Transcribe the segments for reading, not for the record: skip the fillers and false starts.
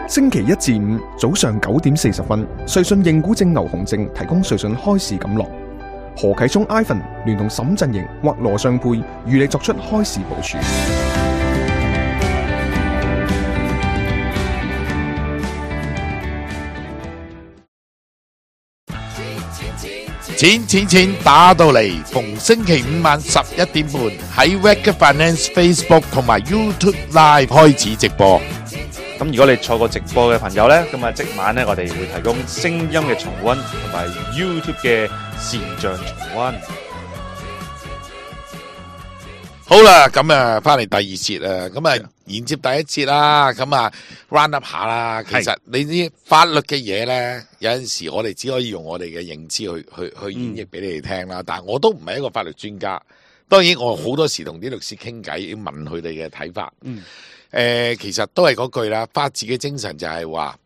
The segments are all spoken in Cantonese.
星期一至五早上9點40分，瑞信認股證牛熊證提供瑞信開市錦囊。何啟聰 Ivan 聯同沈振盈或羅尚佩與你作出開市部署。錢打到嚟，逢星期五晚11點半喺 Wake Finance Facebook 同埋 YouTube Live 開始直播。咁如果你錯過直播嘅朋友呢，咁啊即晚呢，我哋會提供聲音嘅重溫同埋 YouTube 嘅視像重溫。好啦，咁啊翻嚟第二節啊，咁啊連接第一節啦，咁啊 round up 下啦。其實你啲法律嘅嘢咧，有陣時我哋只可以用我哋嘅認知去演繹俾你哋聽啦。但係我都唔係一個法律專家，當然我好多時同啲律師傾偈，要問佢哋嘅睇法。其實都係嗰句啦，法治嘅精神就係話，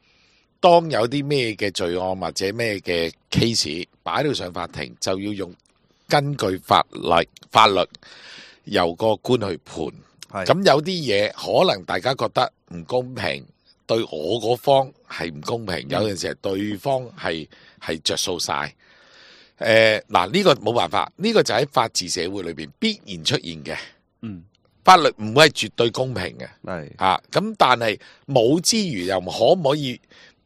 當有啲咩嘅罪案或者咩嘅 case 擺到上法庭，就要用根據法律由個官去判。咁有啲嘢可能大家覺得唔公平，對我嗰方係唔公平，有陣時係對方係着數晒。嗱呢個冇辦法，呢個就喺法治社會裏邊必然出現嘅。法律唔會係絕對公平嘅。咁但係冇之餘又可唔可以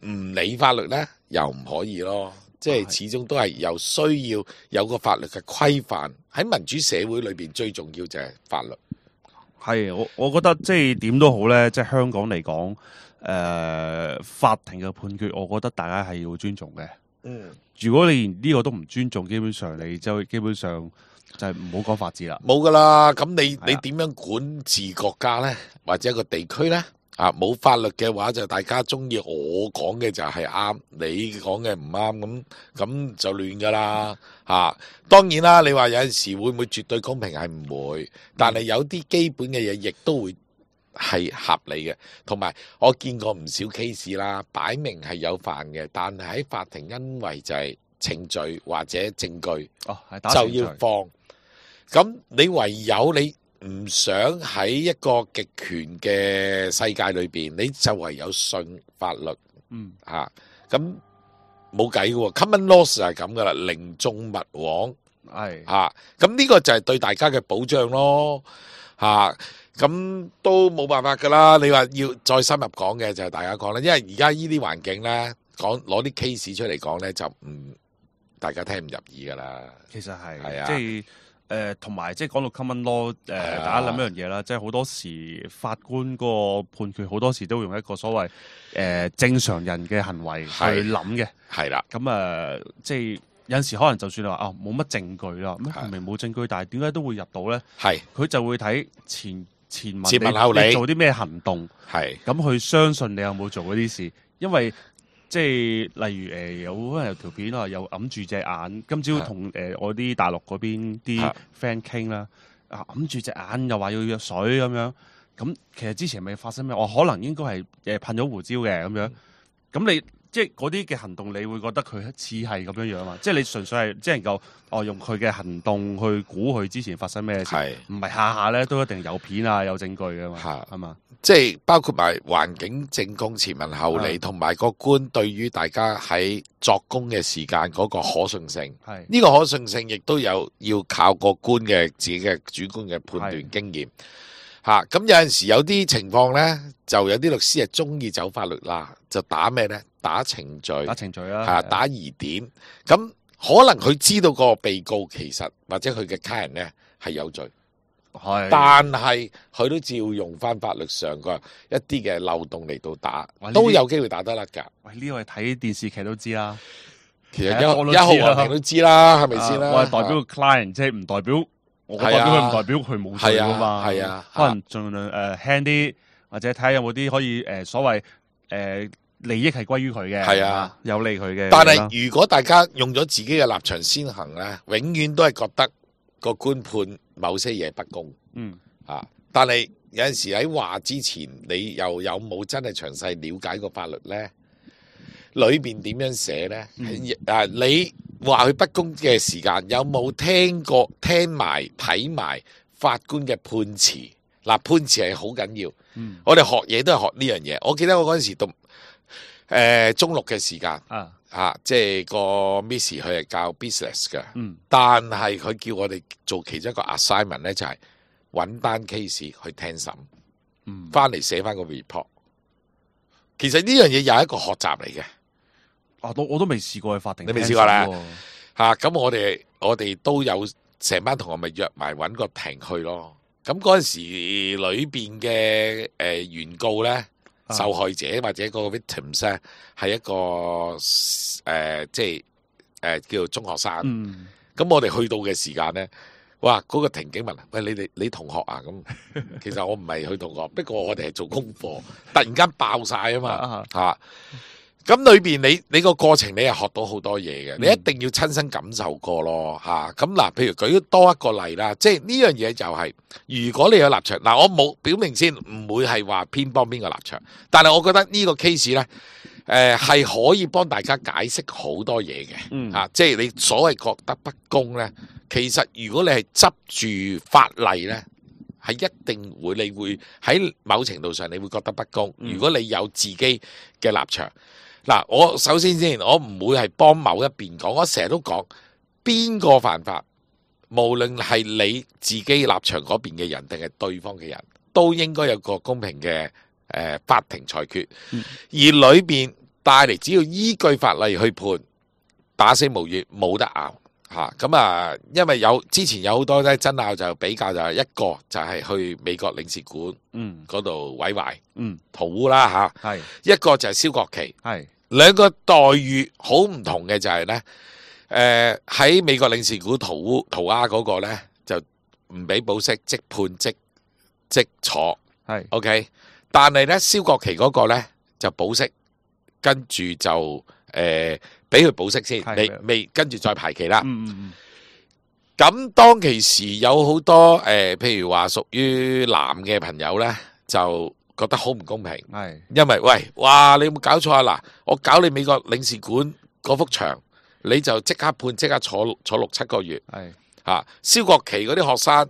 唔理法律呢？又唔可以咯。即係始終都係有需要有個法律嘅規範，喺民主社會裏邊最重要就係法律。我覺得即係點都好咧，即係香港嚟講，法庭嘅判決，我覺得大家係要尊重嘅。如果你連呢個都唔尊重，基本上就係唔好講法治啦。冇噶啦，咁你點樣管治國家咧，或者一個地區咧？冇法律嘅話，就大家中意我講嘅就係啱，你講嘅唔啱，咁就亂噶啦。當然啦，你話有陣時會唔會絕對公平係唔會，但係有啲基本嘅嘢亦都會係合理嘅。同埋我見過唔少 case 啦，擺明係有犯嘅，但係喺法庭因為就係程序或者證據就要放。咁你唯有你唔想喺一個極權嘅世界裏邊，你就唯有信法律。咁冇計嘅 ，common law 係咁噶啦，寧縱勿枉。咁呢個就係對大家嘅保障咯。咁都冇辦法噶啦。你話要再深入講嘅就係大家講啦，因為而家呢啲環境咧，攞啲 case 出嚟講咧，就大家聽唔入耳噶啦。其實係即係。同埋即係講到 common law，大家諗一樣嘢啦，即係好多時法官嗰個判決，好多時都會用一個所謂正常人嘅行為去諗嘅。係啦，咁即係有陣時可能就算你話冇乜證據啦，明明冇證據，但係點解都會入到咧？佢就會睇前文後理，你做啲咩行動，咁去相信你有冇做嗰啲事，因為。即係例如有可能有條片啊，又揞住隻眼。今朝同我啲大陸嗰邊啲 friend 傾啦，揞住隻眼又話要藥水咁樣。咁其實之前未發生咩？我可能應該係噴咗胡椒嘅咁樣。咁你即係嗰啲嘅行動，你會覺得佢似係咁樣樣嘛？即係你純粹係即係能夠用佢嘅行動去估佢之前發生咩事，唔係下下咧都一定有片啊有證據嘅嘛？係嘛？即係包括埋環境證供前文後理，同埋個官對於大家喺作供嘅時間嗰個可信性。呢個可信性亦都要靠個官嘅自己嘅主觀嘅判斷經驗。咁有陣時有啲情況呢，就有啲律師係中意走法律啦，就打咩呢？打程序啦，打疑點。咁可能佢知道個被告其實或者佢嘅家人呢係有罪。但係佢都照用翻法律上嘅一啲嘅漏洞嚟到打，都有機會打得甩㗎。喂，呢個係睇電視劇都知啦。其實一號皇庭都知啦，係咪先啦？我係代表個 client，即係唔代表我代表佢，唔代表佢冇罪㗎嘛。可能盡量輕啲，或者睇下有冇啲可以所謂利益係歸於佢嘅，有利佢嘅。但係如果大家用咗自己嘅立場先行咧，永遠都係覺得個官判某些嘢不公。但係有陣時喺話之前，你又有冇真係詳細了解過法律咧？裏邊點樣寫咧？你話佢不公嘅時間，有冇聽埋睇埋法官嘅判詞？嗱，判詞係好緊要。嗯我哋學嘢都係學呢樣嘢。我記得我嗰陣時讀中六嘅時間即係個 Miss 佢係教 business 嘅，但係佢叫我哋做其中一個 assignment 咧，就係揾單 case 去聽審，翻嚟寫翻個 report。其實呢樣嘢又係一個學習嚟嘅。我都未試過去法庭，你未試過啦咁我哋都有成班同學咪約埋揾個庭去咯。咁嗰陣時裏邊嘅原告咧，受害者或者個 victims 咧，係一個即係叫做中學生。咁我哋去到嘅時間咧，哇！嗰個庭警問：喂，你同學啊？咁其實我唔係佢同學，不過我哋係做功課，突然間爆晒啊嘛咁裏邊你個過程你係學到好多嘢嘅，你一定要親身感受過咯咁嗱，譬如舉多一個例啦，即係呢樣嘢就係，如果你有立場嗱，我冇表明先，唔會係話偏幫邊個立場，但係我覺得呢個 case 咧，係可以幫大家解釋好多嘢嘅即係你所謂覺得不公咧，其實如果你係執住法例咧，係一定會你會喺某程度上你會覺得不公。如果你有自己嘅立場。嗱，我首先我唔會係幫某一邊講，我成日都講邊個犯法，無論係你自己立場嗰邊嘅人定係對方嘅人，都應該有個公平嘅法庭裁決，而裏邊帶嚟只要依據法例去判，打死無怨，冇得拗咁因為之前有好多咧爭拗，就比較就係一個就係去美國領事館嗰度毀壞塗污啦一個就係燒國旗兩個待遇好唔同嘅就係咧，喺美國領事館塗鴉嗰個咧就唔俾保釋，即判即坐，OK。但係咧燒國旗嗰個咧就保釋，跟住就俾佢保釋先，未跟住再排期啦。咁當其時有好多譬如話屬於男嘅朋友咧就。覺得好唔公平，因為喂，哇！你有冇搞錯啊？嗱，我搞你美國領事館嗰幅牆，你就即刻判，即刻坐6-7個月，燒國旗嗰啲學生，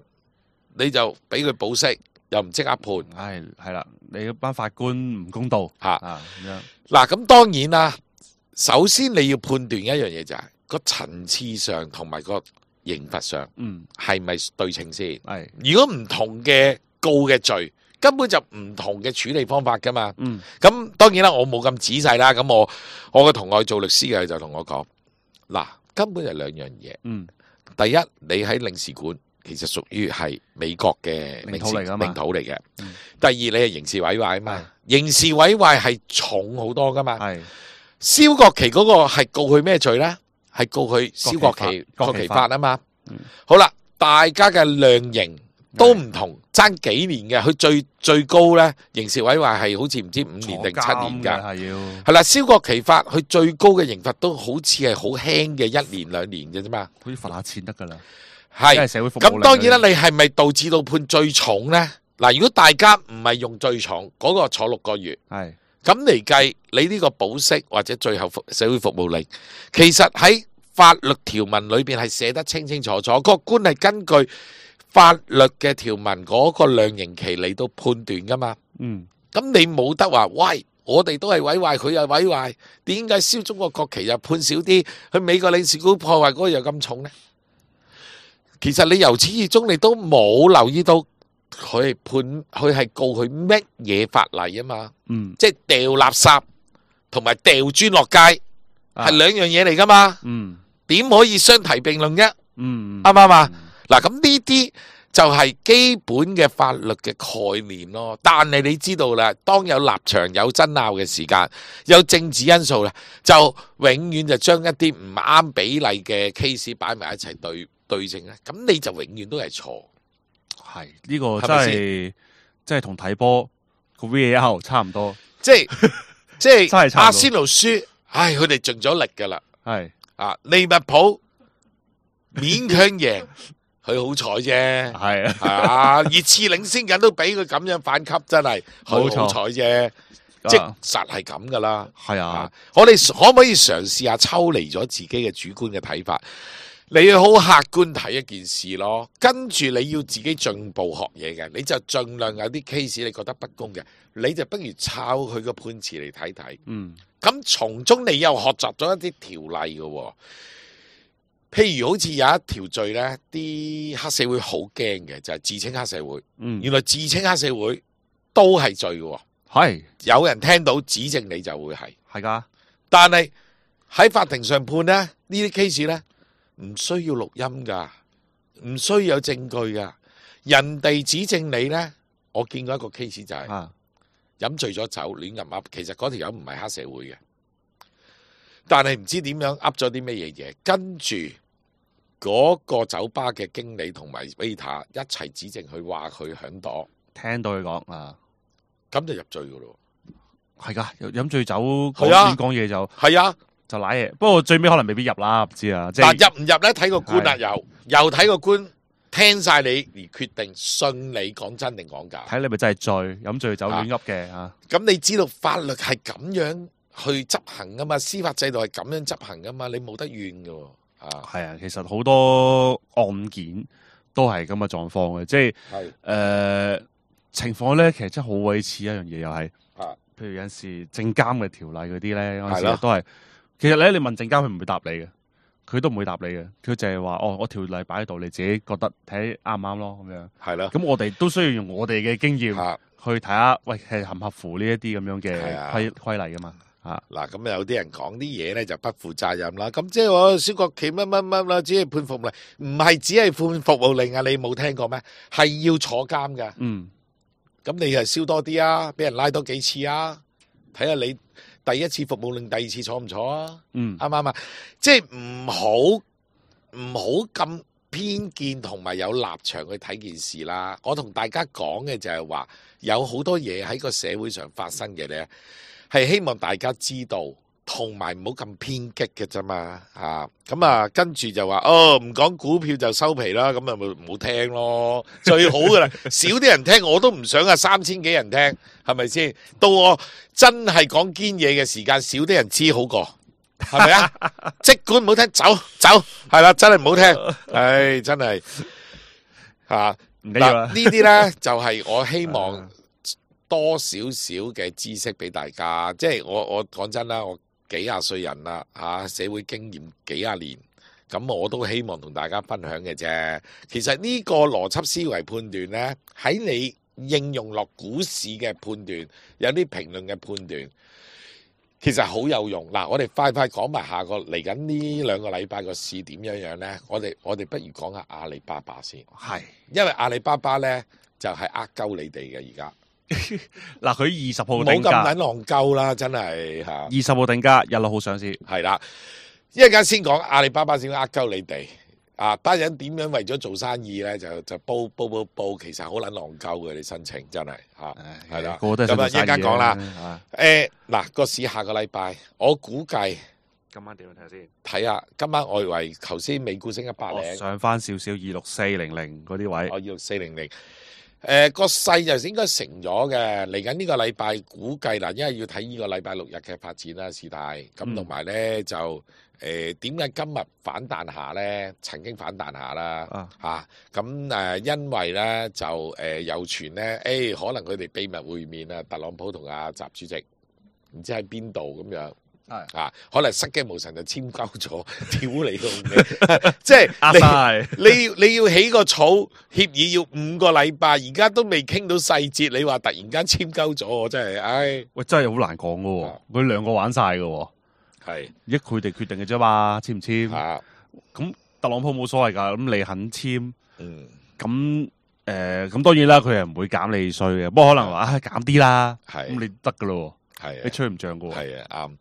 你就俾佢保釋，又唔即刻判，係啦，你班法官唔公道嗱，咁當然啦，首先你要判斷一樣嘢就係個層次上同埋個刑罰上，係咪對稱先？如果唔同嘅告嘅罪。根本就唔同嘅處理方法噶嘛，咁當然啦，我冇咁仔細啦。咁我個同學做律師嘅就同我講，嗱，根本就兩樣嘢。第一，你喺領事館其實屬於係美國嘅領土嚟嘅。第二，你係刑事毀壞啊嘛，刑事毀壞係重好多噶嘛。燒國旗嗰個係告佢咩罪咧？係告佢燒國旗法啊嘛。好啦，大家嘅量刑。都唔同，爭幾年嘅，佢最高咧，刑事毀壞係好似唔知5年定7年㗎，係啦，燒國旗法佢最高嘅刑罰都好似係好輕嘅1年2年嘅啫嘛，好似罰下錢得㗎啦，係咁當然啦，你係咪導致到判最重咧？嗱，如果大家唔係用最重嗰個坐6個月，係咁嚟計，你呢個保釋或者最後社會服務令，其實喺法律條文裏邊係寫得清清楚楚，個官係根據法律嘅條文嗰個量刑期嚟到判斷噶嘛，咁你冇得話，喂，我哋都係毀壞，佢又毀壞，點解燒中國國旗又判少啲，去美國領事館破壞嗰個又咁重呢？其實你由始至終你都冇留意到佢係告佢乜嘢法例啊嘛，即係掉垃圾同埋掉磚落街係兩樣嘢嚟噶嘛，點可以相提並論啫？啱唔啱啊？嗱，咁呢啲就係基本嘅法律嘅概念咯。但係你知道啦，當有立場有爭拗嘅時間，有政治因素啦，就永遠就將一啲唔啱比例嘅 case 擺埋一齊對證咧。咁你就永遠都係錯。係呢個真係同睇波個 VAR 差唔多。即係阿仙奴輸，唉，佢哋盡咗力噶啦。係利物浦勉強贏。佢好彩啫，係啊，熱刺領先緊都俾佢咁樣反擊，真係佢好彩啫，即實係咁噶啦。係啊，我哋可唔可以嘗試下抽離咗自己嘅主觀嘅睇法？你要好客觀睇一件事咯，跟住你要自己進步學嘢嘅，你就盡量有啲 case 你覺得不公嘅，你就不如抄佢個判詞嚟睇睇。咁從中你又學習咗一啲條例嘅喎。譬如好似有一條罪呢，啲黑社會好驚嘅就係自稱黑社會。原來自稱黑社會都係罪嘅喎。係有人聽到指證你就會係㗎，但係喺法庭上判呢，呢啲 case 呢，唔需要錄音噶，唔需要有證據噶。人哋指證你呢，我見過一個 case 就係飲醉咗酒亂咁噏，其實嗰條友唔係黑社會嘅，但係唔知點樣噏咗啲咩嘢嘢，跟住嗰個酒吧嘅經理同埋 waiter 一齊指證佢話佢響朵，聽到佢講啊，咁就入罪噶咯。係㗎，飲醉酒亂講嘢就係啊。就瀨嘢，不過最尾可能未必入啦，唔知啊。嗱，入唔入咧睇個官啦，又睇個官聽晒你而決定信你講真定講假，睇你咪真係醉，飲醉酒亂噏嘅嚇。咁你知道法律係咁樣去執行噶嘛？司法制度係咁樣執行噶嘛？你冇得怨噶喎。係啊，其實好多案件都係咁嘅狀況嘅，即係情況咧，其實真係好鬼似一樣嘢，又係譬如有陣時證監嘅條例嗰啲咧，嗰陣時都係。其實咧，你問證監佢唔會答你嘅，佢都唔會答你嘅，佢就係話我條例擺喺度，你自己覺得睇啱唔啱咯，咁樣。係啦。咁我哋都需要用我哋嘅經驗去睇下，喂係合唔合乎呢一啲咁樣嘅規例噶嘛？嗱，咁有啲人講啲嘢咧就不負責任啦。咁即係話蕭國旗乜乜乜啦，只係判服務令，唔係只係判服務令啊！你冇聽過咩？係要坐監噶。咁你係燒多啲啊，俾人拉多幾次啊，睇下你。第一次服務令，第二次坐唔坐啊？啱唔啱啊？即係唔好咁偏見同埋有立場去睇件事啦。我同大家講嘅就係話，有好多嘢喺個社會上發生嘅咧，係希望大家知道，同埋唔好咁偏激嘅啫嘛。咁啊，跟住就話唔講股票就收皮啦，咁啊咪唔好聽咯，最好噶啦，少啲人聽我都唔想啊，3000幾人聽，係咪先？到我真係講堅嘢嘅時間，少啲人知好過，係咪啊？即管唔好聽，走，係啦，真係唔好聽，唉，真係唔緊要啦。呢啲咧就係我希望多少少嘅知識俾大家，即係我講真啦，我幾廿歲人啦，社會經驗幾廿年，咁我都希望同大家分享嘅啫。其實呢個邏輯思維判斷呢，喺你應用落股市嘅判斷，有啲評論嘅判斷，其實好有用。嗱，我哋快講埋下個嚟緊呢2個禮拜個市點樣呢？我哋不如講下阿里巴巴先，係因為阿里巴巴呢，就係鳩你哋嘅而家。嗱，佢20號定價，冇咁撚戇鳩啦，真係嚇。20號定價，16號上市，係啦。一陣間先講阿里巴巴先鳩你哋班人點樣為咗做生意咧，就報，其實好撚戇鳩嘅，你申請真係係啦。咁啊，一陣間講啦。嗱，個市下個禮拜，我估計今晚點樣睇先？睇下今晚外圍，頭先美股升100，上翻少少26400嗰啲位，26400。個勢就應該成咗嘅，嚟緊呢個禮拜估計啦，因為要睇呢個禮拜6日嘅發展啦，事態咁同埋咧就點解今日反彈下咧？曾經反彈下啦咁因為咧就有傳咧，可能佢哋秘密會面啊，特朗普同阿習主席唔知喺邊度咁樣。可能失驚無神就簽交咗，屌你老味！即係你要起個草協議要5個禮拜，而家都未傾到細節，你話突然間簽交咗，我真係，喂，真係好難講噶，佢2個玩晒噶，係佢哋決定嘅啫嘛，簽唔簽？咁特朗普冇所謂噶，咁你肯簽，咁當然啦，佢係唔會減你稅嘅，不過可能話減啲啦，咁你得噶咯，你吹唔漲噶，係啱。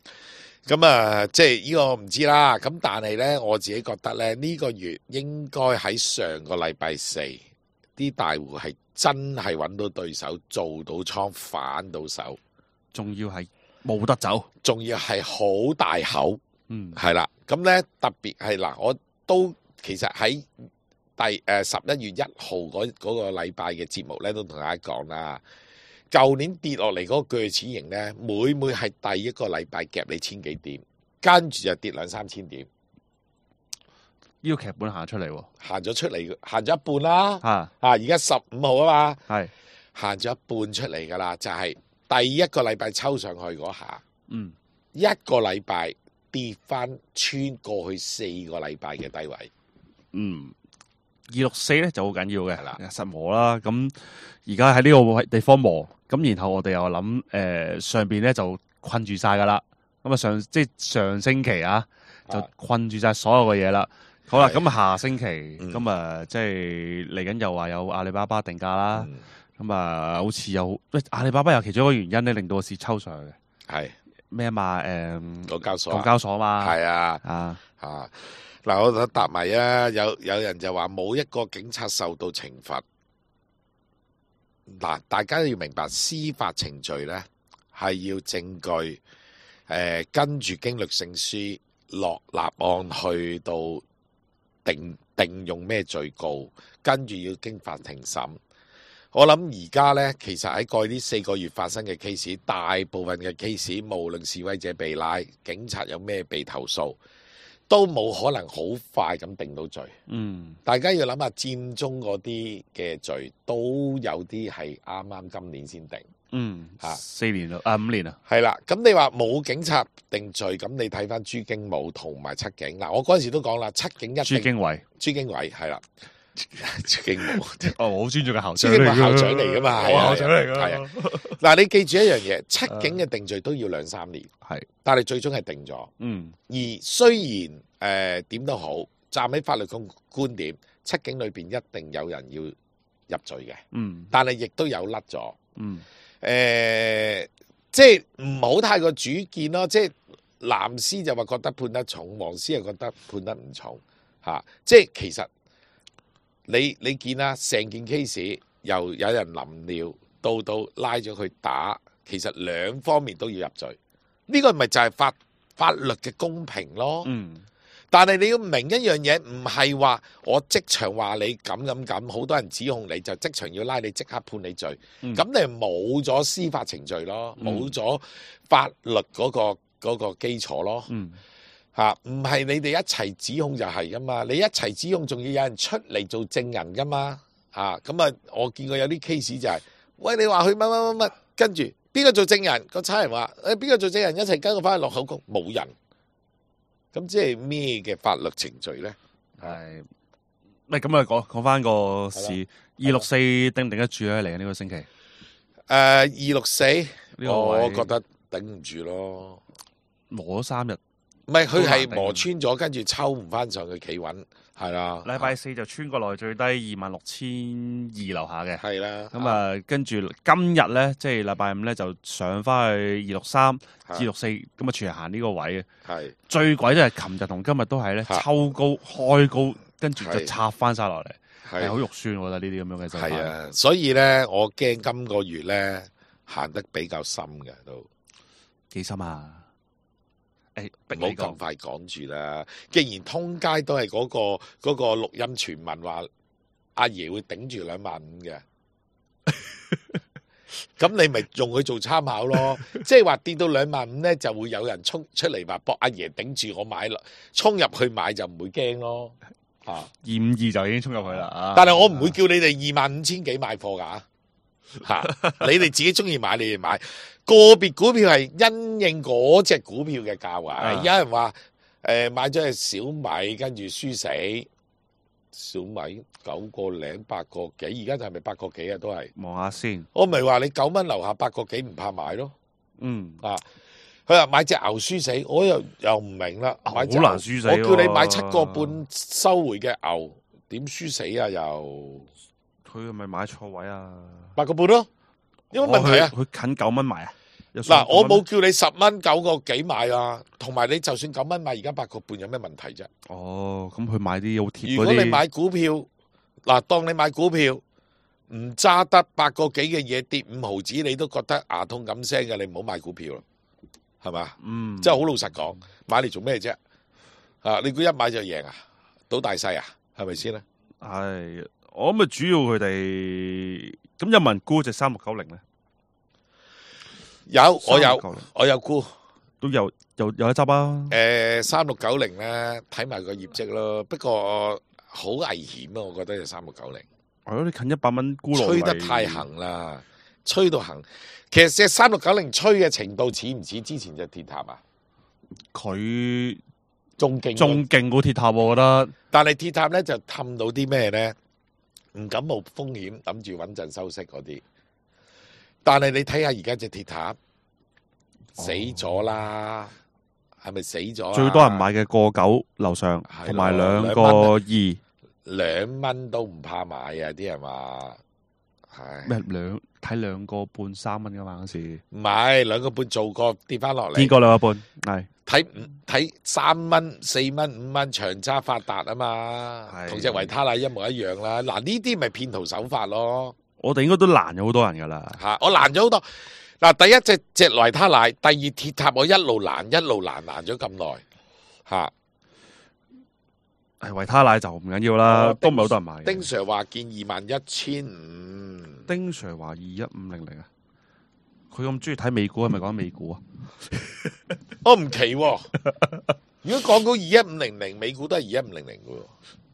咁啊，即係呢個唔知啦。咁但係咧，我自己覺得咧，呢個月應該喺上個禮拜4，啲大戶係真係揾到對手，做到倉反到手，仲要係冇得走，仲要係好大口，係啦。咁咧特別係嗱，我都其實喺11月1號嗰個禮拜嘅節目咧，都同大家講啦。舊年跌落嚟嗰個鋸齒形咧，每係第一個禮拜夾你1000幾點，跟住就跌2-3千點。呢個劇本行出嚟喎，行咗出嚟，行咗一半啦。嚇而家15號啊嘛，係行咗一半出嚟噶啦，就係第一個禮拜抽上去嗰下，一個禮拜跌翻穿過去4個禮拜嘅低位。 264咧就好緊要嘅，係啦實磨啦。咁而家喺呢個地方磨，咁然後我哋又諗上邊咧就困住晒噶啦。咁啊上星期啊就困住晒所有嘅嘢啦。好啦，係咁下星期咁啊即係嚟緊又話有阿里巴巴定價啦。咁啊好似有阿里巴巴有其中一個原因咧令到個市抽上去嘅。係咩嘛？港交所，港交所嘛。係啊。啊嗱，我想答埋啊！有人就話冇一個警察受到懲罰。嗱，大家要明白司法程序咧係要證據，跟住經律政司落立案去到定用咩罪告，跟住要經法庭審。我諗而家咧，其實喺過去呢4個月發生嘅 case， 大部分嘅 case， 無論示威者被拉，警察有咩被投訴，都冇可能好快咁定到罪。大家要諗下佔中嗰啲嘅罪，都有啲係啱啱今年先定。 4年啦，5年啦。係啦，咁你話冇警察定罪，咁你睇翻朱經武同埋七警。嗱，我嗰陣時都講啦，七警一定朱經緯係啦，朱經武我好尊重嘅校朱長嚟㗎，經武校長嚟噶嘛，係啊校長嚟㗎。係啊。嗱，你記住一樣嘢，七警嘅定罪都要2-3年，係，但係最終係定咗。而雖然點都好，站喺法律嘅觀點，七警裏邊一定有人要入罪嘅，但係亦都有甩咗。即係唔好太過主見咯。即係藍絲就話覺得判得重，黃絲又覺得判得唔重嚇。即係其實你見啦，成件 case 由有人淋尿到拉咗佢打，其實兩方面都要入罪。呢個咪就係法律嘅公平咯。但係你要明一樣嘢，唔係話我即場話你咁，好多人指控你就即場要拉你，即刻判你罪。咁你冇咗司法程序咯，冇咗法律嗰個基礎咯。唔係你哋一齊指控就係噶嘛，你一齊指控仲要有人出嚟做證人噶嘛。咁啊，我見過有啲 case 就係，喂，你話佢乜，跟住邊個做證人？個差人話邊個做證人，一齊跟我翻去落口供，冇人。咁即係咩嘅法律程序咧？係，咪咁啊？講翻個事，264定唔定得住咧？嚟緊呢個星期，264，我覺得頂唔住咯。磨咗3日，唔係佢係磨穿咗，跟住抽唔翻上去企穩，係啦。禮拜4就穿過來最低26,200樓下嘅，係啦。咁啊，跟住今日咧，即係禮拜5咧就上翻去263、264，咁啊全日行呢個位嘅。係最鬼都係琴日同今日都係咧抽高開高，跟住就插翻晒落嚟，係好肉酸。我覺得呢啲咁樣嘅就係啊，所以咧我驚今個月咧行得比較深嘅都幾深啊！唔好咁快講住啦。既然通街都係嗰個錄音傳聞話阿爺會頂住25000嘅，咁你咪用佢做參考咯。即係話跌到25000咧，就會有人衝出嚟話搏阿爺頂住我買啦，衝入去買就唔會驚咯。252就已經衝入去啦。但係我唔會叫你哋25000幾買貨㗎。你哋自己中意買，你哋買。個別股票係因應嗰隻股票嘅價位。有人話買咗隻小米，跟住輸死。小米9個零8個幾，而家就係咪8個幾啊？都係望下先。我咪話你9蚊樓下8個幾唔怕買咯。佢話買隻牛輸死，我又唔明啦。好難輸死。我叫你買7個半收回嘅牛，點輸死啊？又佢係咪買錯位啊？8個半咯。有乜問題啊？佢近9蚊買啊！嗱，我冇叫你10蚊9個幾買啊，同埋你就算9蚊買，而家8個半有咩問題啫？哦，咁佢買啲好貼嗰啲。如果你買股票，嗱，當你買股票唔揸得8個幾嘅嘢跌5毫子，你都覺得牙痛咁聲嘅，你唔好買股票咯，係嘛？即係好老實講，買嚟做咩啫？你估一買就贏啊？賭大細啊？係咪先咧？係，我諗主要佢哋咁有冇人沽隻3690咧？有，我有沽，都有有得執啊！ 3690咧，睇埋個業績咯。不過好危險啊，我覺得就3690。係咯，你近100蚊沽落嚟，吹得太行啦，吹到行。其實隻3690吹嘅程度似唔似之前隻鐵塔啊？佢仲勁，仲勁過鐵塔，我覺得。但係鐵塔咧就氹到啲咩咧？唔敢冒風險，諗住穩陣收息嗰啲。但係你睇下而家隻鐵塔死咗啦，係咪死咗啊？最多人買嘅1.9樓上，係咯同埋2.2。 2蚊都唔怕買啊！啲人話係咩睇2.5、3蚊噶嘛嗰時，唔係2.5做過跌翻落嚟？見過2.5，係睇3蚊、4蚊、5蚊長揸發達啊嘛，係同隻維他奶一模一樣啦。嗱呢啲咪騙徒手法咯我哋應該都難咗好多人噶啦。嚇，我難咗好多。嗱第一隻維他奶，第二鐵塔我一路難咗咁耐嚇。係維他奶就唔緊要啦，都唔係好多人買嘅。丁 Sir 話見21,500，丁 Sir 話21500啊，佢咁中意睇美股，係咪講美股啊？我唔奇喎。如果講到21500，美股都係21500嘅喎。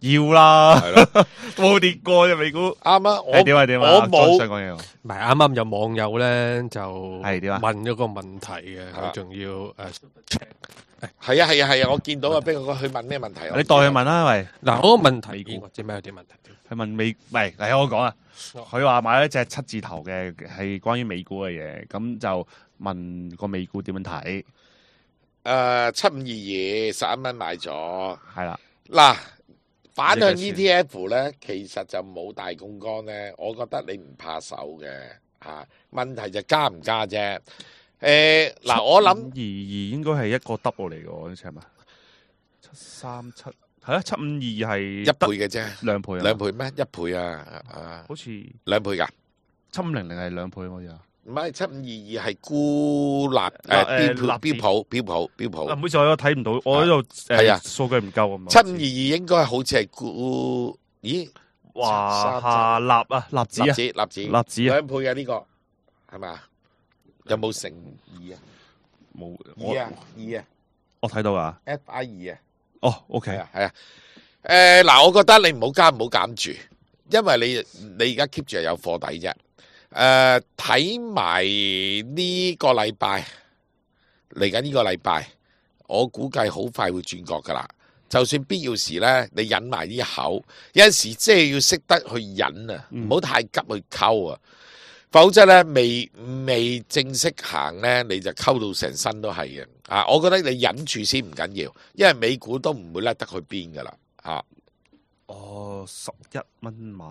要啦，係咯，冇跌過啫美股。啱啊！我點啊點啊，我冇想講嘢喎。唔係啱啱有網友咧就係點啊問咗個問題嘅，啊佢仲要係啊！我見到啊，邊個去問咩問題啊？你代佢問啦，喂，嗱，我個問題或者咩有啲問題？佢問美，唔係嚟我講啊。佢話買咗隻7字頭嘅係關於美股嘅嘢，咁就問個美股點樣睇？ 7522 11蚊買咗。係啦，嗱，反向呢個 ETF 咧，其實就冇大槓桿咧，我覺得你唔怕手嘅嚇。問題就加唔加啫。嗱，我諗752應該係一個 double 嚟嘅喎，呢次係咪？737係啊，752係一倍嘅啫， 2倍啊， 2倍咩？1倍啊，好似2倍㗎。 7500係2倍好似啊。唔係7522係孤立標普。唔好意思，我睇唔到，我喺度係啊數據唔夠啊嘛。 722應該好似係孤，咦？華夏立啊，立子啊，立子立子啊， 2倍嘅呢個係咪啊？有冇乘2啊？冇2啊我睇到啊。 ，FI 2啊。哦，OK，係啊。嗱，我覺得你唔好加唔好減住，因為你而家 keep 住係有貨底啫。睇埋呢個禮拜嚟緊呢個禮拜，我估計好快會轉角噶啦。就算必要時咧，你忍埋呢一口，有陣時即係要識得去忍啊，唔好太急去溝啊。否則咧，未正式行咧，你就溝到成身都係嘅。啊，我覺得你忍住先唔緊要，因為美股都唔會甩得去邊噶啦。嚇，哦，11蚊買，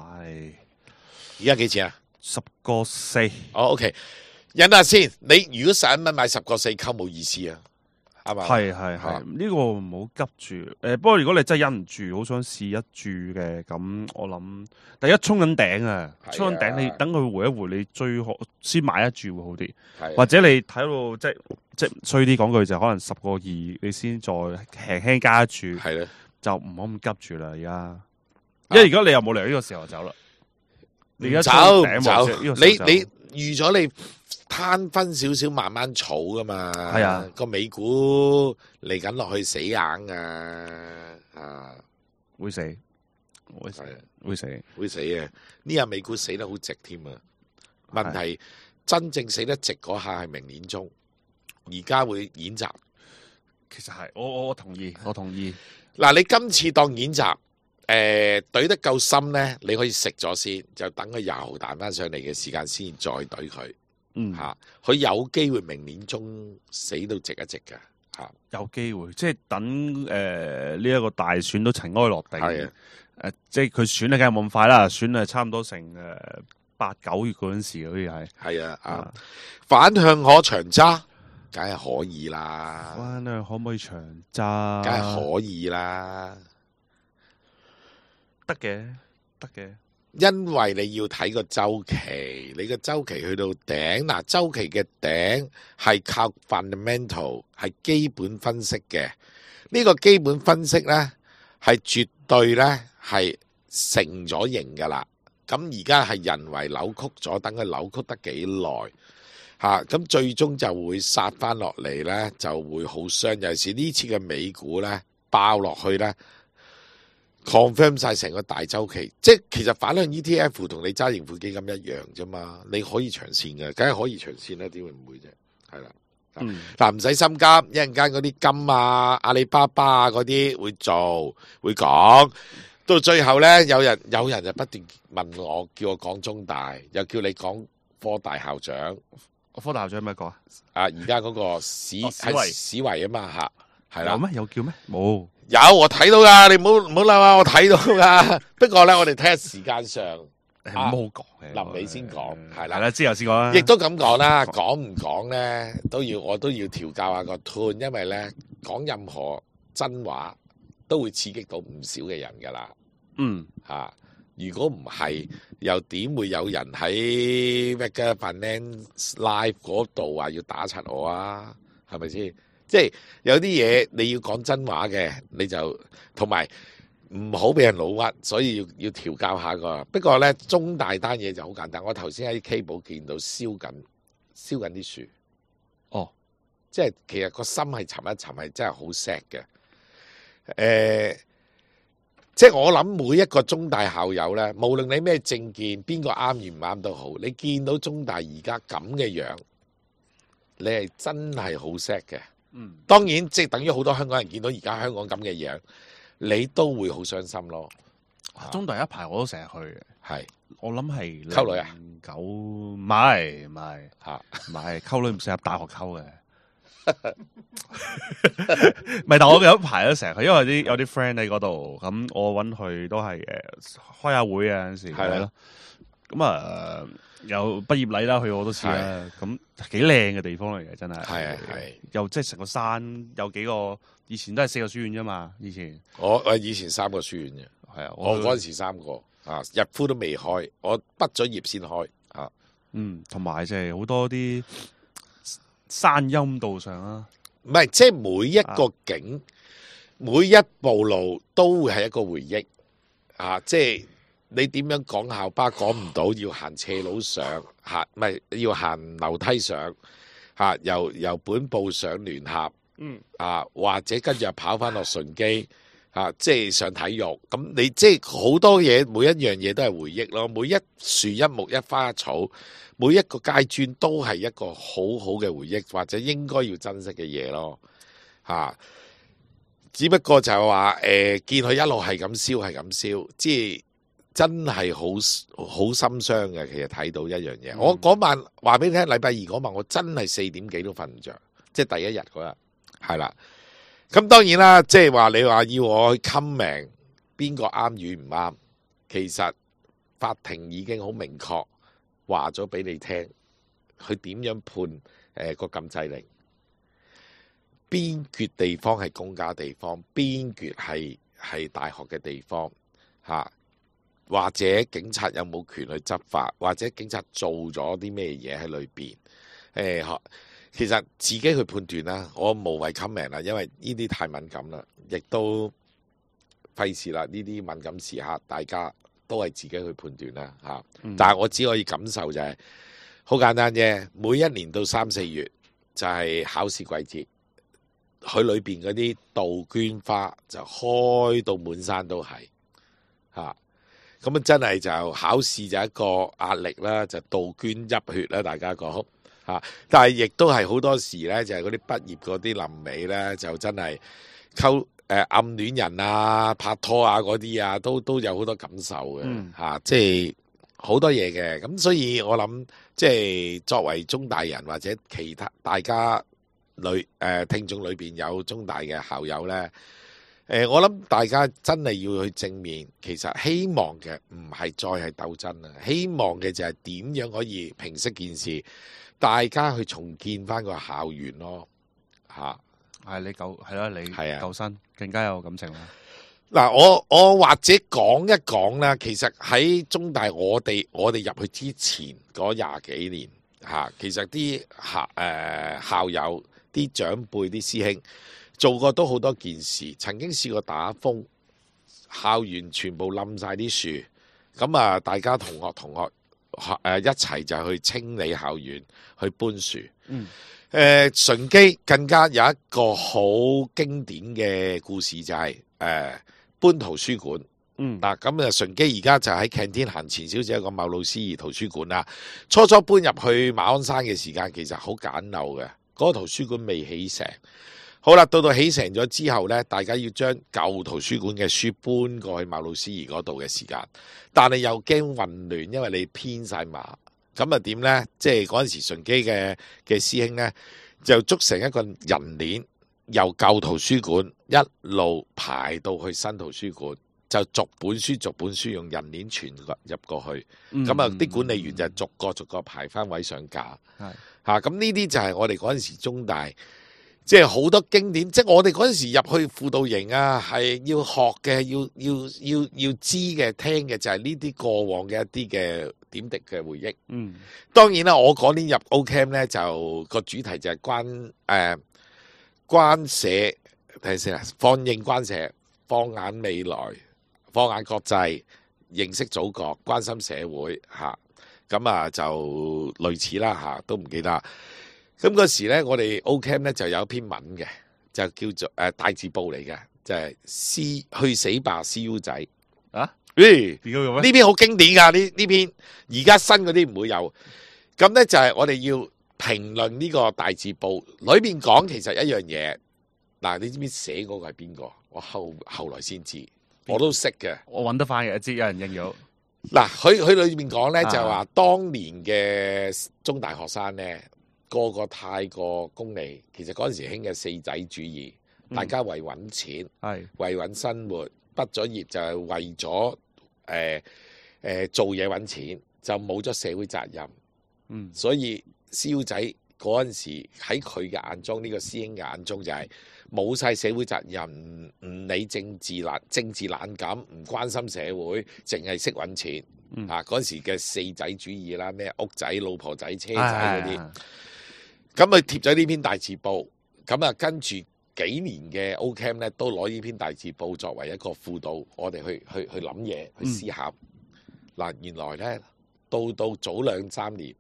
而家幾錢啊10.4。哦，OK，忍下先。你如果11蚊買10.4溝冇意思啊，啱嘛？係啊呢個唔好急住。不過如果你真係忍唔住，好想試一注嘅，咁我諗第一衝緊頂啊，係啊衝緊頂你等佢回一回，你最好先買一注會好啲。係或者你睇到即係衰啲講句就可能10.2，你先再輕輕加一注，係咧。就唔好咁急住啦。而家，因為而家你又冇理由呢個時候走啦。你而家走衝頂走，呢個時候走你預咗你攤分少少慢慢儲噶嘛？係啊，個美股嚟緊落去死硬噶，啊，會死，會死係啊，會死。會死嘅。呢日美股死得好直添啊！問題真正死得直嗰下係明年中，而家會演習。其實係，我同意，我同意。嗱，你今次當演習，懟得夠深咧，你可以食咗先，就等佢又彈翻上嚟嘅時間先再懟佢。嗯，嚇，佢有機會明年中死到直一直嘅嚇。有機會，即係等呢一個大選都塵埃落定。係啊，即係佢選咧，梗係冇咁快啦，選係差唔多成8、9月嗰陣時，好似係。係啊，反向可長揸，梗係可以啦，翻咧可唔可以長揸？梗係可以啦。得嘅，得嘅。因為你要睇個週期，你個週期去到頂，嗱週期嘅頂係靠 fundamental 係基本分析嘅，呢個基本分析呢，係絕對呢係成咗型噶啦。咁而家係人為扭曲咗，等佢扭曲得幾耐咁最終就會殺翻落嚟咧，就會好傷。尤其是呢次嘅美股咧爆落去咧 ，confirm 晒成個大周期。即係其實反向 ETF 同你揸盈富基金一樣啫嘛，你可以長線嘅，梗係可以長線啦，點會唔會啫？係啦。嗱，唔使心急，一陣間嗰啲金啊、阿里巴巴啊嗰啲會做會講，到最後咧，有人就不斷問我，叫我講中大，又叫你講科大校長。科大校長咩講啊？而家嗰個史維啊嘛嚇，係啦。有咩？有叫咩？冇。有我睇到噶，你唔好嬲啊！我睇到噶。不過咧，我哋睇下時間上。唔好講嘅，臨尾先講，係啦，之後先講啦。亦都咁講啦，講唔講咧，我都要調教下個 tone， 因為咧講任何真話都會刺激到唔少嘅人噶啦。如果唔係，又點會有人喺 Vega Finance Live 嗰度話要打柒我啊？係咪先？即係有啲嘢你要講真話嘅，你就同埋。唔好俾人老屈，所以要調教下個。不過咧，中大單嘢就好簡單。我頭先喺 K 寶見到燒緊啲樹。哦，即係其實個心係沉一沉，係真係好 sad 嘅。即係我諗每一個中大校友咧，無論你咩政見，邊個啱與唔啱都好，你見到中大而家咁嘅樣，你係真係好 sad 嘅。當然即係等於好多香港人見到而家香港咁嘅樣。你都會好傷心咯。中大一排我都成日去嘅，係我諗係溝女啊，9唔係溝女唔適合大學溝嘅，唔係。但我有一排都成日去，因為有啲 friend 喺嗰度，咁我揾佢都係開下會啊，有陣時係咯。咁有畢業禮啦，去過好多次啦，咁幾靚嘅地方嚟嘅，真係。係又即係成個山有幾個。以前都係4個書院啫嘛，以前我以前3個書院嘅，係啊，我嗰陣時3個日夫都未開，我畢咗業先開同埋即係好多啲山陰道上啦，唔係即係每一個景，每一步路都會係一個回憶即係你點樣講校巴講唔到，要行斜路上唔係要行樓梯上由本部上聯合。或者跟住又跑翻落順基即係上體育咁，你即係好多嘢，每一樣嘢都係回憶咯。每一樹一木一花一草，每一個階磚都係一個好好嘅回憶，或者應該要珍惜嘅嘢咯。只不過就係話見佢一路係咁燒，即係真係好心傷嘅。其實睇到一樣嘢，我嗰晚話俾你聽，禮拜二嗰晚我真係4點幾都瞓唔着，即係第一日嗰日。係啦，咁當然啦，即係話你話要我去 comment 邊個啱與唔啱，其實法庭已經好明確話咗俾你聽，佢點樣判個禁制令，邊橛地方係公家地方，邊橛係大學嘅地方或者警察有冇權去執法，或者警察做咗啲咩嘢喺裏邊其實自己去判斷啦，我無謂 comment 啦，因為呢啲太敏感啦，亦都費事啦。呢啲敏感時刻，大家都係自己去判斷啦但係我只可以感受就係好簡單啫。每一年到3、4月就係考試季節，佢裏邊嗰啲杜鵑花就開到滿山都係咁真係就考試就一個壓力啦，就杜鵑入血啦，大家講。但係亦都係好多時咧，就係嗰啲畢業嗰啲臨尾咧，就真係暗戀人啊、拍拖啊嗰啲都有好多感受嘅即係好多嘢嘅。咁所以我諗，即係作為中大人或者其他大家聽眾裏邊有中大嘅校友咧，我諗大家真係要去正面。其實希望嘅唔係再係鬥爭啊，希望嘅就係點樣可以平息件事。大家去重建翻個校園咯，你救生更加有感情啦。嗱，我或者講一講啦。其實喺中大我哋入去之前嗰20幾年其實啲校友、啲長輩、啲師兄做過都好多件事。曾經試過打風，校園全部冧晒啲樹，咁大家同學一齊就去清理校園，去搬樹。嗯順基更加有一個好經典嘅故事就係、搬圖書館。嗯嗱，咁順基而家就喺 canteen 行前少少一個茂路思怡圖書館啦。初搬入去馬鞍山嘅時間其實好簡陋嘅，嗰、個圖書館未起成。好啦，到起成咗之後呢，大家要將舊圖書館嘅書搬過去茂路思怡嗰度嘅時間，但係又驚混亂，因為你編晒碼。咁啊點呢？即係嗰陣時順基嘅師兄呢，就捉成一個人鏈，由舊圖書館一路排到去新圖書館，就逐本書用人鏈傳入過去。咁啊啲管理員就逐個排翻位上架。係嚇，咁呢啲就係我哋嗰陣時中大。即係好多經典，即係我哋嗰陣時入去輔導營啊，係要學嘅，要知嘅，聽嘅就係呢啲過往嘅一啲嘅點滴嘅回憶。嗯，當然啦，我嗰年入 O-Camp 咧，就個主題就係關社，睇下先啊，放映關社，放眼未來，放眼國際，認識祖國，關心社會嚇。咁啊就類似啦嚇，都唔記得。咁嗰時咧，我哋 O-Camp 咧就有一篇文嘅，就叫做大字報嚟嘅，就係去死吧 CU 仔啊！咦，點解嘅咩？呢篇好經典㗎，呢篇而家新嗰啲唔會有。咁咧就係我哋要評論呢個大字報裏邊講，其實一樣嘢。嗱，你知唔知寫嗰個係邊個？我後來先知，我都識嘅。我揾得翻嘅，知有人認咗。嗱，佢裏面講咧就話，當年嘅中大學生咧。個太過功利，其實嗰陣時興嘅四仔主義，大家為揾錢，為揾生活，畢咗業就係為咗做嘢揾錢，就冇咗社會責任。所以蕭仔嗰陣時喺佢嘅眼中，呢個師兄嘅眼中就係冇晒社會責任，唔理政治冷感，唔關心社會，淨係識揾錢。嗰陣時嘅四仔主義啦，咩屋仔、老婆仔、車仔嗰啲。咁佢貼咗呢篇大字報，咁啊跟住幾年嘅 O-Camp 咧，都攞呢篇大字報作為一個輔導，我哋去諗嘢，去思考。嗱，原來咧到早2-3年，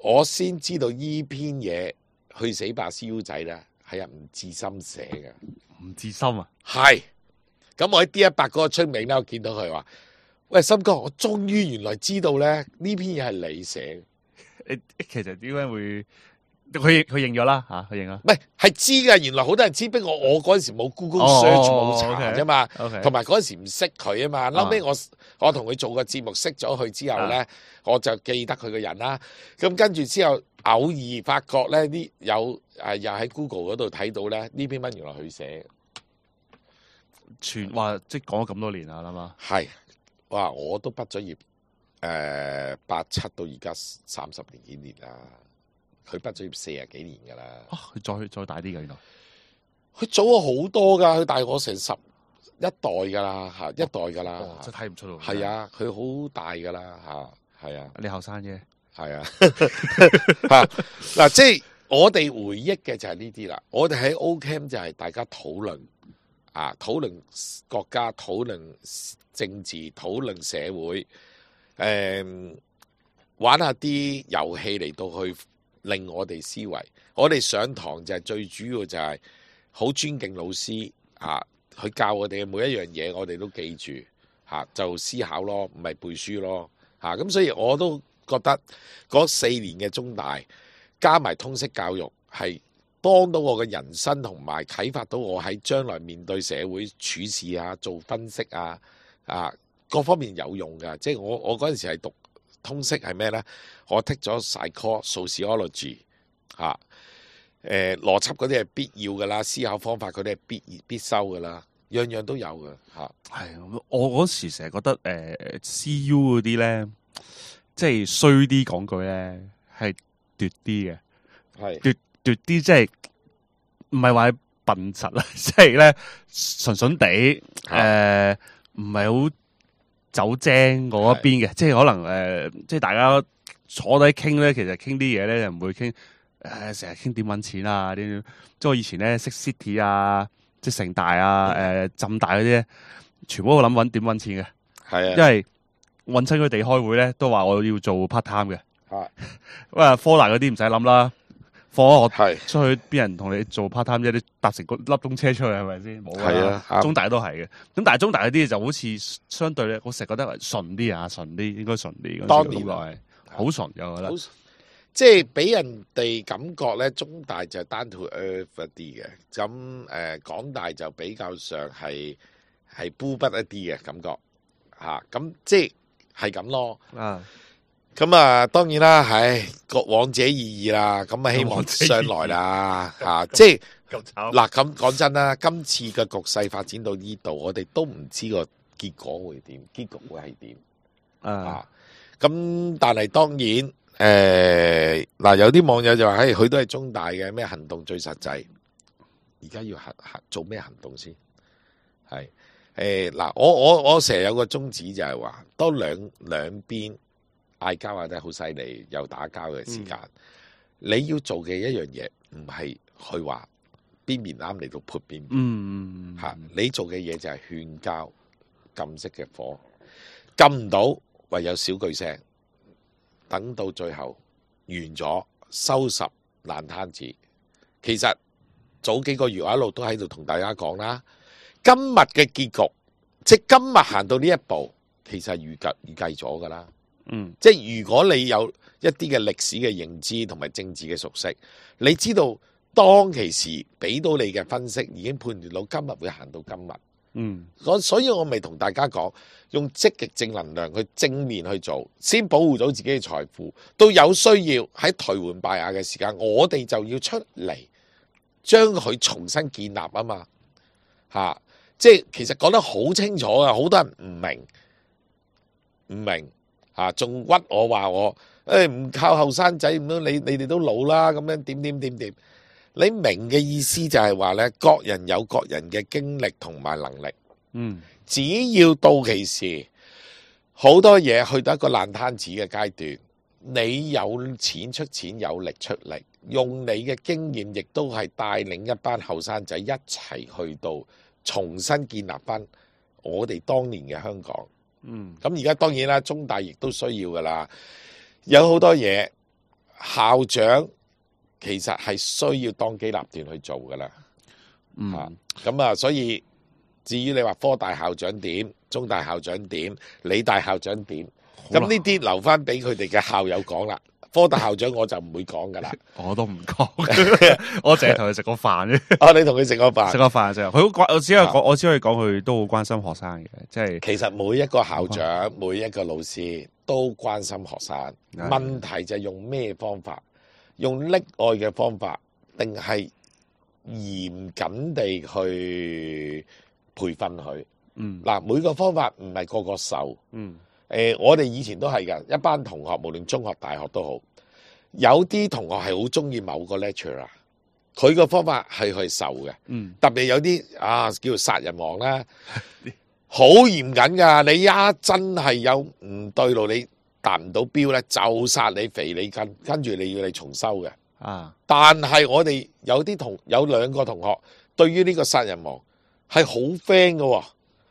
我先知道呢篇嘢去死吧 CU 仔咧係阿吳志森寫嘅。吳志森啊，係。咁我喺 D100嗰個出名咧，我見到佢話：喂，森哥，我終於原來知道咧呢篇嘢係你寫嘅。其實點解會？佢認咗啦嚇，佢認啦。唔係知㗎，原來好多人知，不過我嗰陣時冇 Google search 冇查啫嘛，同埋嗰陣時唔識佢啊嘛。後尾我同佢做個節目識咗佢之後咧，我就記得佢個人啦。咁跟住之後偶爾發覺咧，又喺 Google 嗰度睇到咧呢篇文原來佢寫嘅，話即係講咗咁多年啦，諗下。係，哇！我都畢咗業87到而家30幾年啦。佢畢咗業40幾年㗎啦。佢再大啲㗎，原來。佢早咗好多㗎，佢大我成11代㗎啦，嚇一代㗎啦。真睇唔出咯。係啊，佢好大㗎啦，嚇係啊。你後生啫。係啊。嗱，即係我哋回憶嘅就係呢啲啦。我哋喺 O-Camp 就係大家討論討論國家、討論政治、討論社會，玩下啲遊戲嚟到去。令我哋思維，我哋上堂就係最主要就係好尊敬老師佢教我哋嘅每一樣嘢，我哋都記住就思考咯，唔係背書咯咁所以我都覺得嗰4年嘅中大加埋通識教育係幫到我嘅人生，同埋啟發到我喺將來面對社會處事做分析各方面有用㗎。即係我嗰陣時係讀通識係咩呢？我剔咗 psychology 邏輯嗰啲係必要㗎啦，思考方法嗰啲係必修㗎啦，樣樣都有㗎係我嗰時成日覺得CU 嗰啲咧，即係衰啲講句咧，係奪啲嘅，係奪啲，即係唔係話笨實啦，即係咧純純地唔係好走精嗰一邊嘅，即係可能即係大家坐低傾咧，其實傾啲嘢咧就唔會傾成日傾點揾錢啊啲，即係我以前咧識 City 啊，即係城大啊、浸大嗰啲咧，全部都諗點揾錢嘅，係啊，因為揾親佢哋開會咧，都話我要做 part time 嘅。啊，咁啊，科大嗰啲唔使諗啦，放咗學係出去，邊人同你做 part time 啫？你搭成個粒鐘車出去係咪先？冇係啊啱中大都係嘅。咁但係中大嗰啲就好似相對咧，我成日覺得係順啲啊，順啲應該順啲。當然係好順嘅，我覺得。好即係俾人哋感覺咧，中大就 down to earth 一啲嘅，咁港大就比較上係孤筆一啲嘅感覺嚇，咁即係咁咯。啊，咁啊，當然啦，各往者意義啦，咁啊希望上來啦嚇，即係咁慘。嗱咁講真啦，今次嘅局勢發展到呢度，我哋都唔知個結果會點，結局會係點啊？咁但係當然。嗱，有啲網友就話，佢都係中大嘅，咩行動最實際？而家要做咩行動先？係嗱，我成日有個宗旨就係話，當兩邊嗌交或者好犀利又打交嘅時間，你要做嘅一樣嘢唔係去話邊邊啱嚟到潑邊邊，你做嘅嘢就係勸交，禁熄嘅火，禁唔到唯有小句聲。等到最後完咗，收拾爛攤子。其實早幾個月我一路都喺度同大家講啦，今日嘅結局，即係今日行到呢一步，其實係預計咗噶啦。即係如果你有一啲嘅歷史嘅認知同埋政治嘅熟悉，你知道當其時俾到你嘅分析已經判斷到今日會行到今日。所以我咪同大家講，用積極正能量去正面去做，先保護到自己嘅財富。到有需要喺頹垣敗瓦嘅時間，我哋就要出嚟將佢重新建立啊嘛。即係其實講得好清楚啊，好多人唔明仲屈我話我唔靠後生仔，咁樣你哋都老啦，咁樣點。你明嘅意思就係話咧，各人有各人嘅經歷同埋能力。只要到其時，好多嘢去到一個爛攤子嘅階段，你有錢出錢，有力出力，用你嘅經驗，亦都係帶領一班後生仔一齊去到重新建立翻我哋當年嘅香港。咁而家當然啦，中大亦都需要噶啦，有好多嘢校長。其實係需要當機立斷去做噶啦，所以至於你話科大校長點，中大校長點，理大校長點，咁呢啲留翻俾佢哋嘅校友講啦。科大校長我就唔會講噶啦，我都唔講，我淨係同佢食個飯啫。你同佢食個飯，食個飯啫。佢好關，我只可以講佢都好關心學生嘅，即係其實每一個校長、每一個老師都關心學生，問題就係用咩方法。用溺愛嘅方法，定係嚴謹地去培訓佢？每個方法唔係個個受。我哋以前都係㗎，一班同學無論中學、大學都好，有啲同學係好中意某個 lecturer，佢個方法係去受嘅。特別有啲叫做殺人王啦，好嚴謹㗎。你一真係有唔對路，你達唔到標咧，就殺你肥你筋，跟住你要你重修嘅。但係我哋有兩個同學，對於呢個殺人王係好 friend 嘅，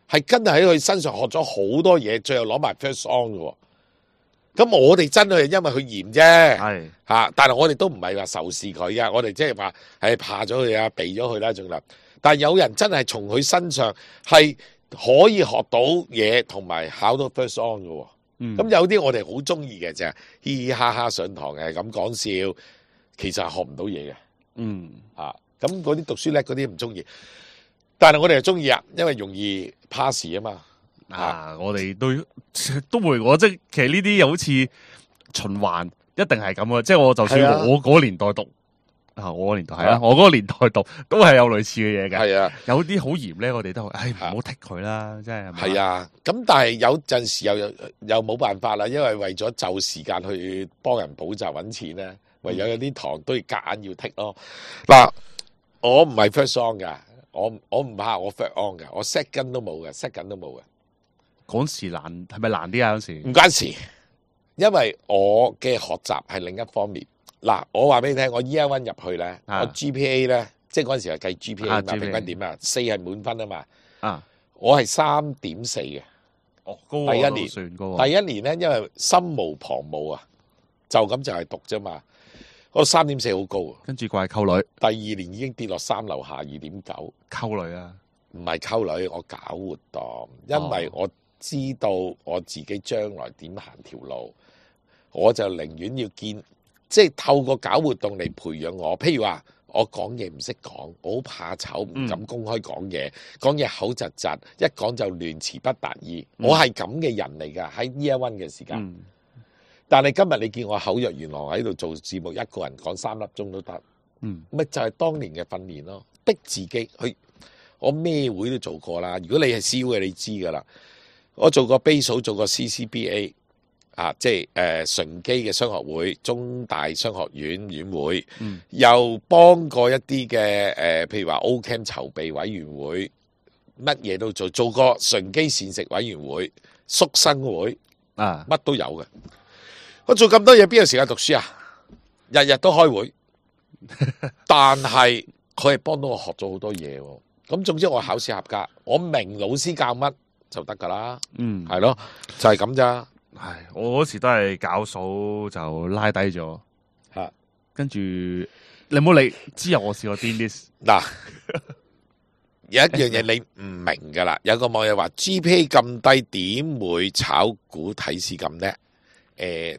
係真係喺佢身上學咗好多嘢，最後攞埋 first on 嘅。咁我哋真係因為佢嚴啫，但係我哋都唔係話仇視佢嘅，我哋即係話係怕咗佢啊，避咗佢啦，仲啦。但係有人真係從佢身上係可以學到嘢，同埋考到 first on 嘅。咁有啲我哋好中意嘅就係嘻嘻哈哈上堂嘅咁講笑，其實係學唔到嘢嘅。咁嗰啲讀書叻嗰啲唔中意，但係我哋係中意啊，因為容易 pass 啊嘛。我哋都會，即係其實呢啲又好似循環，一定係咁嘅。即係我就算我嗰個年代讀。我個年代係啊，我嗰個年代讀都係有類似嘅嘢嘅。係啊，有啲好嚴咧，我哋都唔好剔佢啦，真係。係啊，咁但係有陣時又冇辦法啦，因為為咗就時間去幫人補習揾錢咧，唯有啲堂都要夾硬要剔咯。嗱，我唔係 first on 噶，我唔怕我 first on 噶，我 second 都冇嘅，second 都冇嘅。嗰時難係咪難啲啊？嗰時唔關事，因為我嘅學習係另一方面。嗱，我話俾你聽，我 year one 入去咧，我 GPA 咧，即係嗰陣時係計 GPA 嘛，平均點啊，4係滿分啊嘛，我係3.4嘅，哦，高第一年算高啊。第一年咧，因為心無旁騖啊，就咁就係讀啫嘛。嗰3.4好高啊。跟住怪溝女，第二年已經跌落3樓下2.9。溝女啊，唔係溝女，我搞活動，因為我知道我自己將來點行條路，我就寧願要即係透過搞活動嚟培養我。譬如話，我講嘢唔識講，我好怕醜，唔敢公開講嘢，講嘢口窒窒，一講就亂詞不達意。我係咁嘅人嚟㗎，喺 Year One 嘅時間。但係今日你見我口若懸河喺度做節目，一個人講3粒鐘都得，咪就係當年嘅訓練咯，逼自己去。我咩會都做過啦。如果你係 CU 嘅，你知㗎啦。我做過 base 做過 CCBA 啊，即係純基嘅商學會、中大商學院院會，又幫過一啲嘅譬如話 Ocamp 籌備委員會，乜嘢都做過純基膳食委員會、宿生會啊，乜都有嘅。我做咁多嘢，邊有時間讀書啊？日日都開會，但係佢係幫到我學咗好多嘢喎。咁總之我考試合格，我明老師教乜就得噶啦，係咯，就係咁咋。唉，我嗰時都係搞數就拉低咗，跟住你唔好理，之後我試過癲啲。嗱，有一樣嘢你唔明噶啦，有個網友話 GPA 咁低，點會炒股睇市咁叻？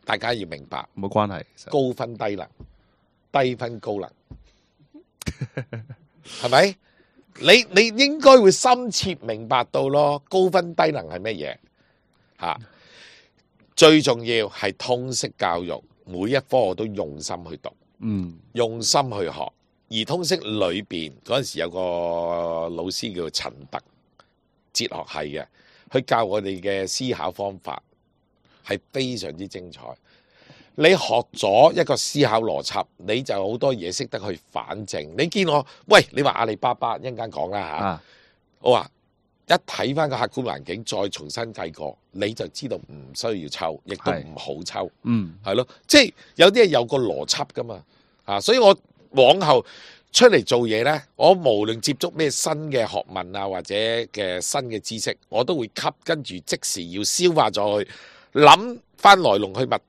大家要明白，冇關係，高分低能，低分高能，係咪？你應該會深切明白到咯，高分低能係乜嘢嚇？最重要係通識教育，每一科我都用心去讀，用心去學。而通識裏邊嗰陣時有個老師叫陳特，哲學系嘅，佢教我哋嘅思考方法係非常之精彩。你學咗一個思考邏輯，你就好多嘢識得去反證。你見我，喂，你話阿里巴巴一陣間講啦嚇，我話一睇翻個客觀環境，再重新計過，你就知道唔需要抽，亦都唔好抽，係咯，即係有啲係有個邏輯噶嘛，所以我往後出嚟做嘢呢，我無論接觸咩新嘅學問啊，或者嘅新嘅知識，我都會吸，跟住即時要消化咗去，諗翻來龍去脈。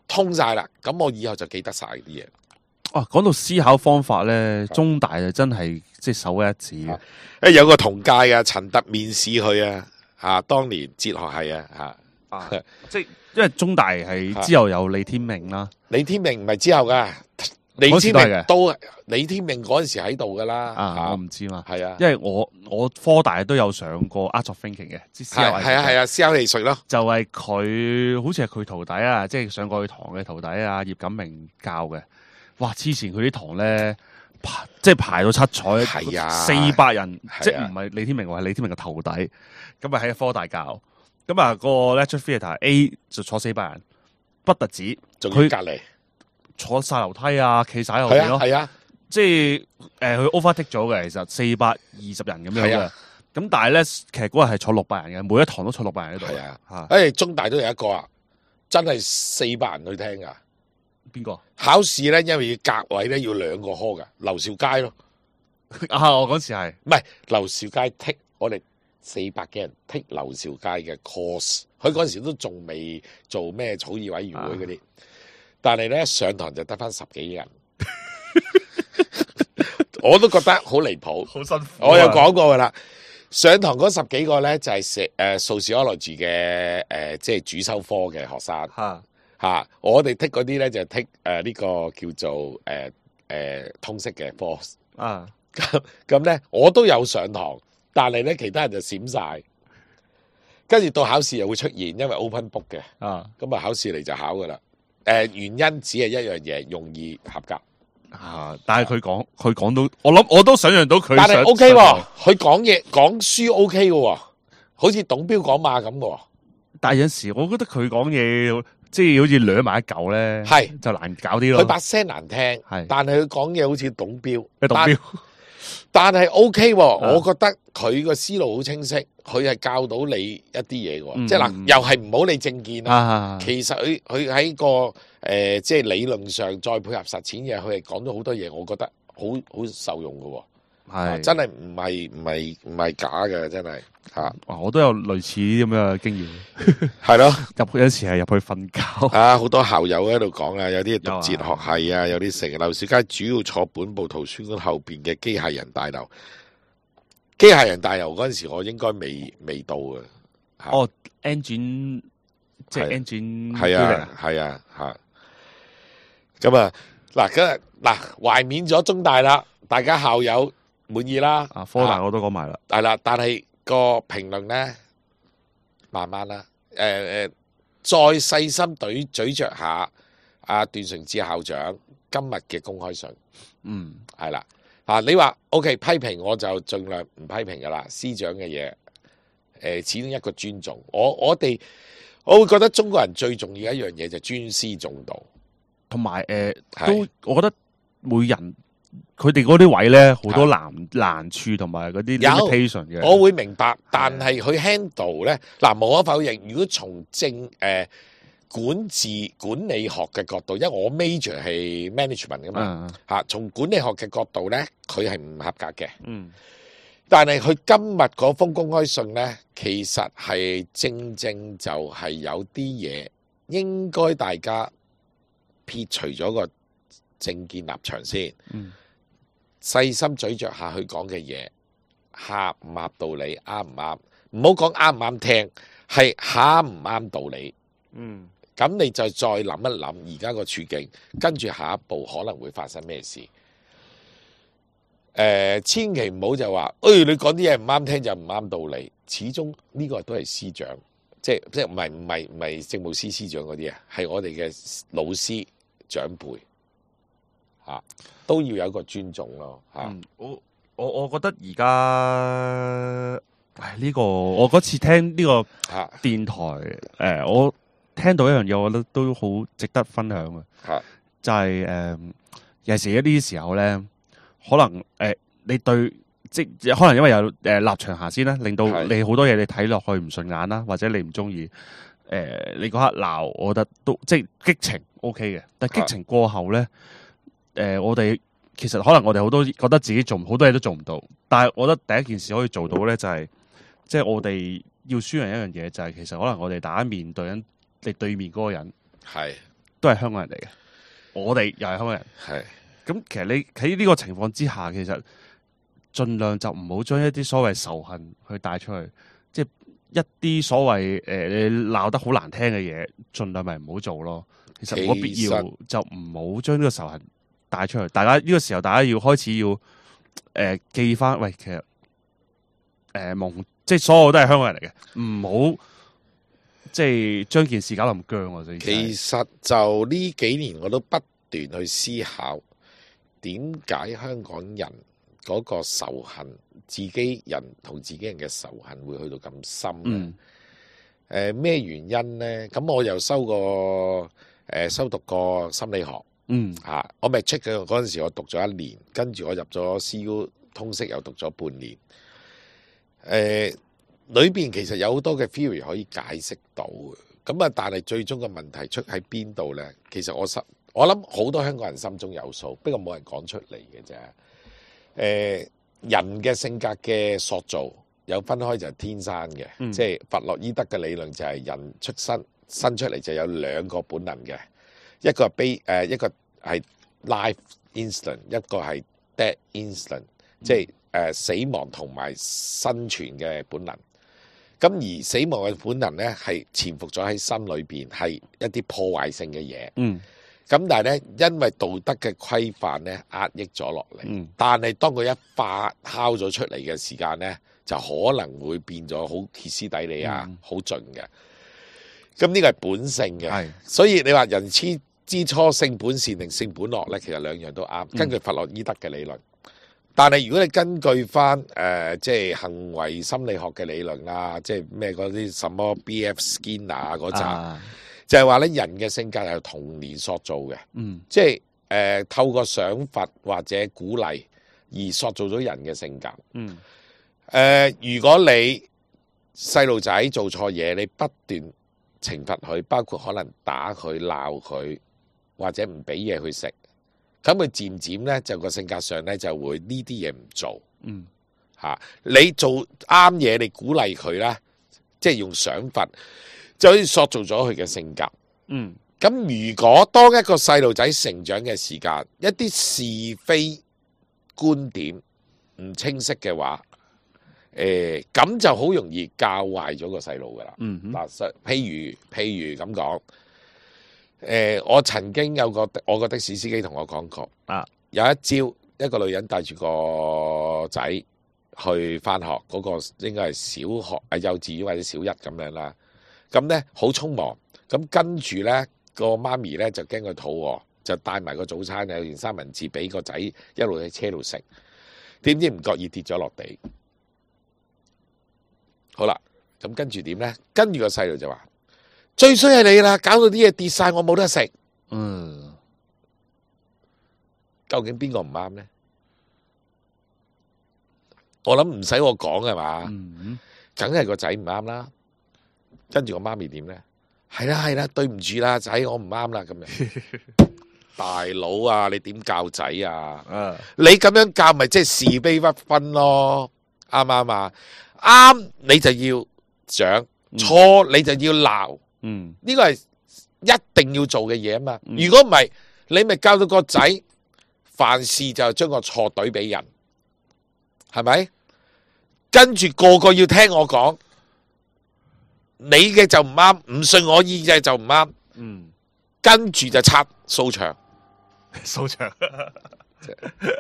通晒啦，咁我以後就記得晒啲嘢。講到思考方法咧，中大就真係即係首屈一指嘅。有個同屆嘅陳特面試佢啊，當年哲學系即係因為中大係之後有李天命啦，李天命唔係之後噶，李天命都李天命嗰陣時喺度噶啦。我唔知嘛，係啊，因為我科大都有上過 Art of Thinking 嘅，係啊，思考藝術咯，就係佢好似係佢徒弟啊，即係上過佢堂嘅徒弟啊，葉錦明教嘅。哇！之前佢啲堂咧，即係排到七彩，400人，即係唔係李天命，係李天明嘅徒弟，咁啊喺科大教，咁啊個 lecture theatre A 就坐400人，不特止，仲要隔離坐晒樓梯啊，企晒喺後邊咯，係啊，即係佢 overtake 咗嘅，其實420人咁樣嘅，咁但係咧，其實嗰日係坐600人嘅，每一堂都坐600人喺度，係啊，中大都有一個啊，真係400人去聽噶。邊個考試咧？因為要隔位咧，要2個科噶。劉兆佳咯，我嗰時係唔係劉兆佳剔我哋400幾人剔劉兆佳嘅 course， 佢嗰時都仲未做咩草擬委員會嗰啲，但係咧上堂就得翻10幾人，我都覺得好離譜，好辛苦。我有講過噶啦，上堂嗰10幾個咧就係sociology嘅即係主修科嘅學生。我哋剔嗰啲咧就剔呢個叫做通識嘅科咁咧我都有上堂，但係咧其他人就閃晒，跟住到考試又會出現，因為 open book 嘅咁啊考試嚟就考噶啦。原因只係一樣嘢，容易合格但係佢講到，我都想象到佢，但係 OK 喎，佢講書 OK 嘅，好似董彪講馬咁嘅。但係有陣時我覺得佢講嘢。即係好似掠埋一嚿咧，係就難搞啲咯。佢把聲難聽，係，但係佢講嘢好似董彪，但係 OK 喎。我覺得佢個思路好清晰，佢係教到你一啲嘢嘅。即係嗱，又係唔好理政見啦。其實佢喺個即係理論上再配合實踐嘅，佢係講咗好多嘢，我覺得好受用嘅。係真係唔係假嘅，真係嚇，我都有類似咁樣嘅經驗，係咯。有時係入去瞓覺。啊！好多校友喺度講啊，有啲讀有啊哲學系啊，有啲成劉兆佳主要坐本部圖書館後邊嘅機械人大樓。機械人大樓嗰陣時，我應該未到嘅。嚇哦，engine 即係 engine 係啊，係啊，嚇。咁啊，嗱，懷緬咗中大啦，大家校友滿意啦。啊，科大我都講埋啦。係啦，但係個評論咧，慢慢啦，再細心咀嚼下阿段崇智校長今日嘅公開信，嗯，係啦，你話 OK 批評我就盡量唔批評噶啦，師長嘅嘢，始終一個尊重，我會覺得中國人最重要一樣嘢就尊師重道，同埋係都我覺得每人佢哋嗰啲位咧好多難處同埋嗰啲 limitation 嘅。我會明白，但係佢 handle 咧，嗱無可否認，如果從管治管理學嘅角度，因為我 major 係 management 噶嘛，從管理學嘅角度咧，佢係唔合格嘅。嗯，但係佢今日嗰封公開信咧，其實係正就係有啲嘢應該大家撇除咗個政見立場先，細心咀嚼下佢講嘅嘢，合唔合道理，啱唔啱？唔好講啱唔啱聽，係啱唔啱道理。咁你就再諗一諗而家個處境，跟住下一步可能會發生咩事？千祈唔好就話，你講啲嘢唔啱聽就唔啱道理。始終呢個都係師長，即係唔係政務司司長嗰啲啊，係我哋嘅老師長輩都要有一個尊重咯我覺得而家呢個我嗰次聽呢個電台我聽到一樣嘢，我覺得都好值得分享嘅，就係有時一啲時候咧，可能你對即可能因為有立場下先啦，令到你好多嘢你睇落去唔順眼啦，或者你唔中意你嗰刻鬧，我覺得都即係激情 OK 嘅，但係激情過後咧，我哋其實可能我哋好多覺得自己做好多嘢都做唔到，但係我覺得第一件事可以做到咧，就係即係我哋要宣揚一樣嘢，就係其實可能我哋大家面對緊你對面嗰個人都係香港人嚟嘅，我哋又係香港人。咁其實你喺呢個情況之下，其實盡量就唔好將一啲所謂仇恨去帶出去，即係一啲所謂你鬧得好難聽嘅嘢，盡量咪唔好做咯。其實冇必要就唔好將呢個仇恨帶出去。大家呢個時候，大家要開始要記翻，喂，其實即係所有都係香港人嚟嘅，唔好即係將件事搞到咁僵啊！其實就呢幾年我都不斷去思考，點解香港人嗰個仇恨，自己人同自己人嘅仇恨會去到咁深咧？咩原因咧？咁我又修讀過心理學，我咪 check 嘅嗰陣時，我讀咗1年，跟住我入咗 CU 通識又讀咗半年。裏邊其實有好多嘅 theory 可以解釋到嘅，咁啊，但係最終嘅問題出喺邊度呢？其實我諗好多香港人心中有數，不過冇人講出嚟嘅啫。人嘅性格嘅塑造有分開就係天生嘅，即係弗洛伊德嘅理論就係人生出嚟就有2個本能嘅，一個係 life instinct， 一個係 death instinct， 即係死亡同埋生存嘅本能。咁而死亡嘅本能咧，係潛伏咗喺心裏邊，係一啲破壞性嘅嘢。咁但係咧，因為道德嘅規範咧壓抑咗落嚟。但係當佢一發酵咗出嚟嘅時間咧，就可能會變咗好歇斯底里啊，好盡嘅。咁呢個係本性嘅，所以你話人之初性本善定性本惡咧，其實兩樣都啱。根據弗洛伊德嘅理論。但係如果你根據翻即係行為心理學嘅理論啊，即係咩嗰啲什麼 B.F. Skinner 嗰扎，就係話咧人嘅性格係由童年塑造嘅，即係透過賞罰或者鼓勵而塑造咗人嘅性格。如果你細路仔做錯嘢，你不斷懲罰佢，包括可能打佢、鬧佢，或者唔俾嘢佢食。咁佢漸漸咧就個性格上咧就會呢啲嘢唔做嗯嚇。你做啱嘢，你鼓勵佢啦，即係用賞罰，就好似塑造咗佢嘅性格。嗯咁如果當一個細路仔成長嘅時間，一啲是非觀點唔清晰嘅話，咁就好容易教壞咗個細路噶啦。嗯哼嗱，譬如咁講，我曾經有我個的士司機同我講過，啊，有一朝一個女人帶住個仔去翻學，嗰、個應該係小學幼稚園或者小一咁樣啦。咁咧好匆忙，咁跟住咧個媽咪咧就驚佢肚餓，就帶埋個早餐有件三文治俾個仔一路喺車度食，點知唔覺意跌咗落地。好啦，咁跟住點咧？跟住個細路就話：最衰係你啦，搞到啲嘢跌晒，我冇得食。嗯，究竟邊個唔啱咧？我諗唔使我講係嘛，嗯梗係個仔唔啱啦。跟住個媽咪點咧？係啦係啦，對唔住啦，仔我唔啱啦咁樣。大佬啊，你點教仔啊？啊，你咁樣教咪即係是非不分咯，啱唔啱啊？啱你就要獎，錯你就要鬧，嗯呢個係一定要做嘅嘢啊嘛。嗯如果唔係，你咪教到個仔凡事就將個錯懟俾人，係咪？跟住個個要聽我講，你嘅就唔啱，唔信我意嘅就唔啱，嗯，跟住就拆掃場。掃場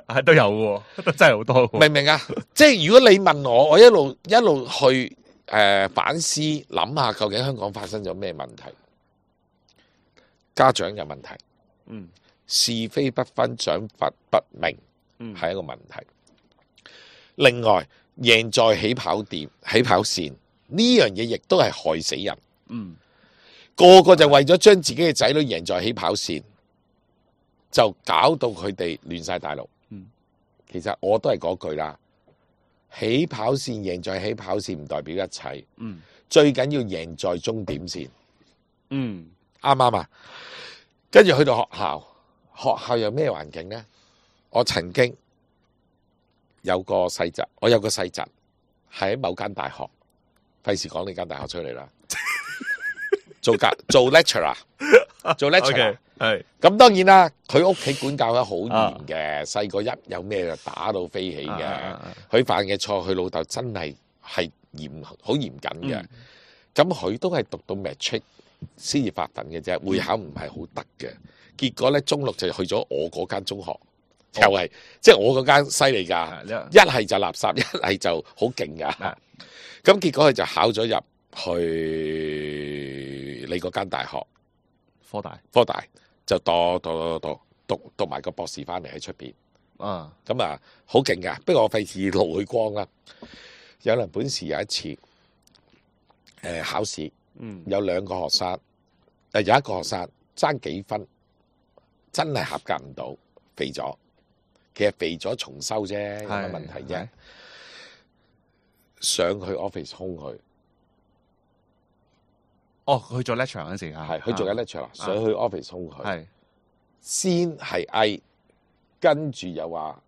係都有嘅喎，都真係好多喎。明唔明啊？即係如果你問我，我一路去反思諗下，究竟香港發生咗咩問題？家長有問題，嗯是非不分，獎罰不明，嗯係一個問題。另外，贏在起跑線呢樣嘢，亦都係害死人。嗯個個就為咗將自己嘅仔女贏在起跑線，就搞到佢哋亂晒大陸。嗯其實我都係嗰句啦，起跑線贏在起跑線唔代表一切，嗯最緊要贏在終點線，嗯啱唔啱啊？跟住去到學校有咩環境呢？我曾經有個細侄，我有個細侄係喺某間大學，費事講呢間大學出嚟啦，做 lecturer， 做 lecturer。係咁當然啦，佢屋企管教得好嚴嘅，細個一有咩就打到飛起嘅。佢犯嘅錯，佢老豆真係好嚴謹嘅。咁佢都係讀到 matric 先至發奮嘅啫，會考唔係好得嘅。結果咧，中六就去咗我嗰間中學，又係即係我嗰間犀利㗎，一係就垃圾，一係就好勁㗎。咁結果佢就考咗入去你嗰間大學，科大。就讀埋個博士翻嚟喺出邊，咁啊好勁噶。不過我費事露佢光啦。有人本事有一次，考試，有兩個學生，有一個學生爭幾分，真係合格唔到，肥咗。其實肥咗重修啫，有乜問題啫？上去 office 兇佢。哦，佢做 lecture 嗰陣時係佢做緊 lecture 上去 office 兇佢，係先係嗌，跟住又話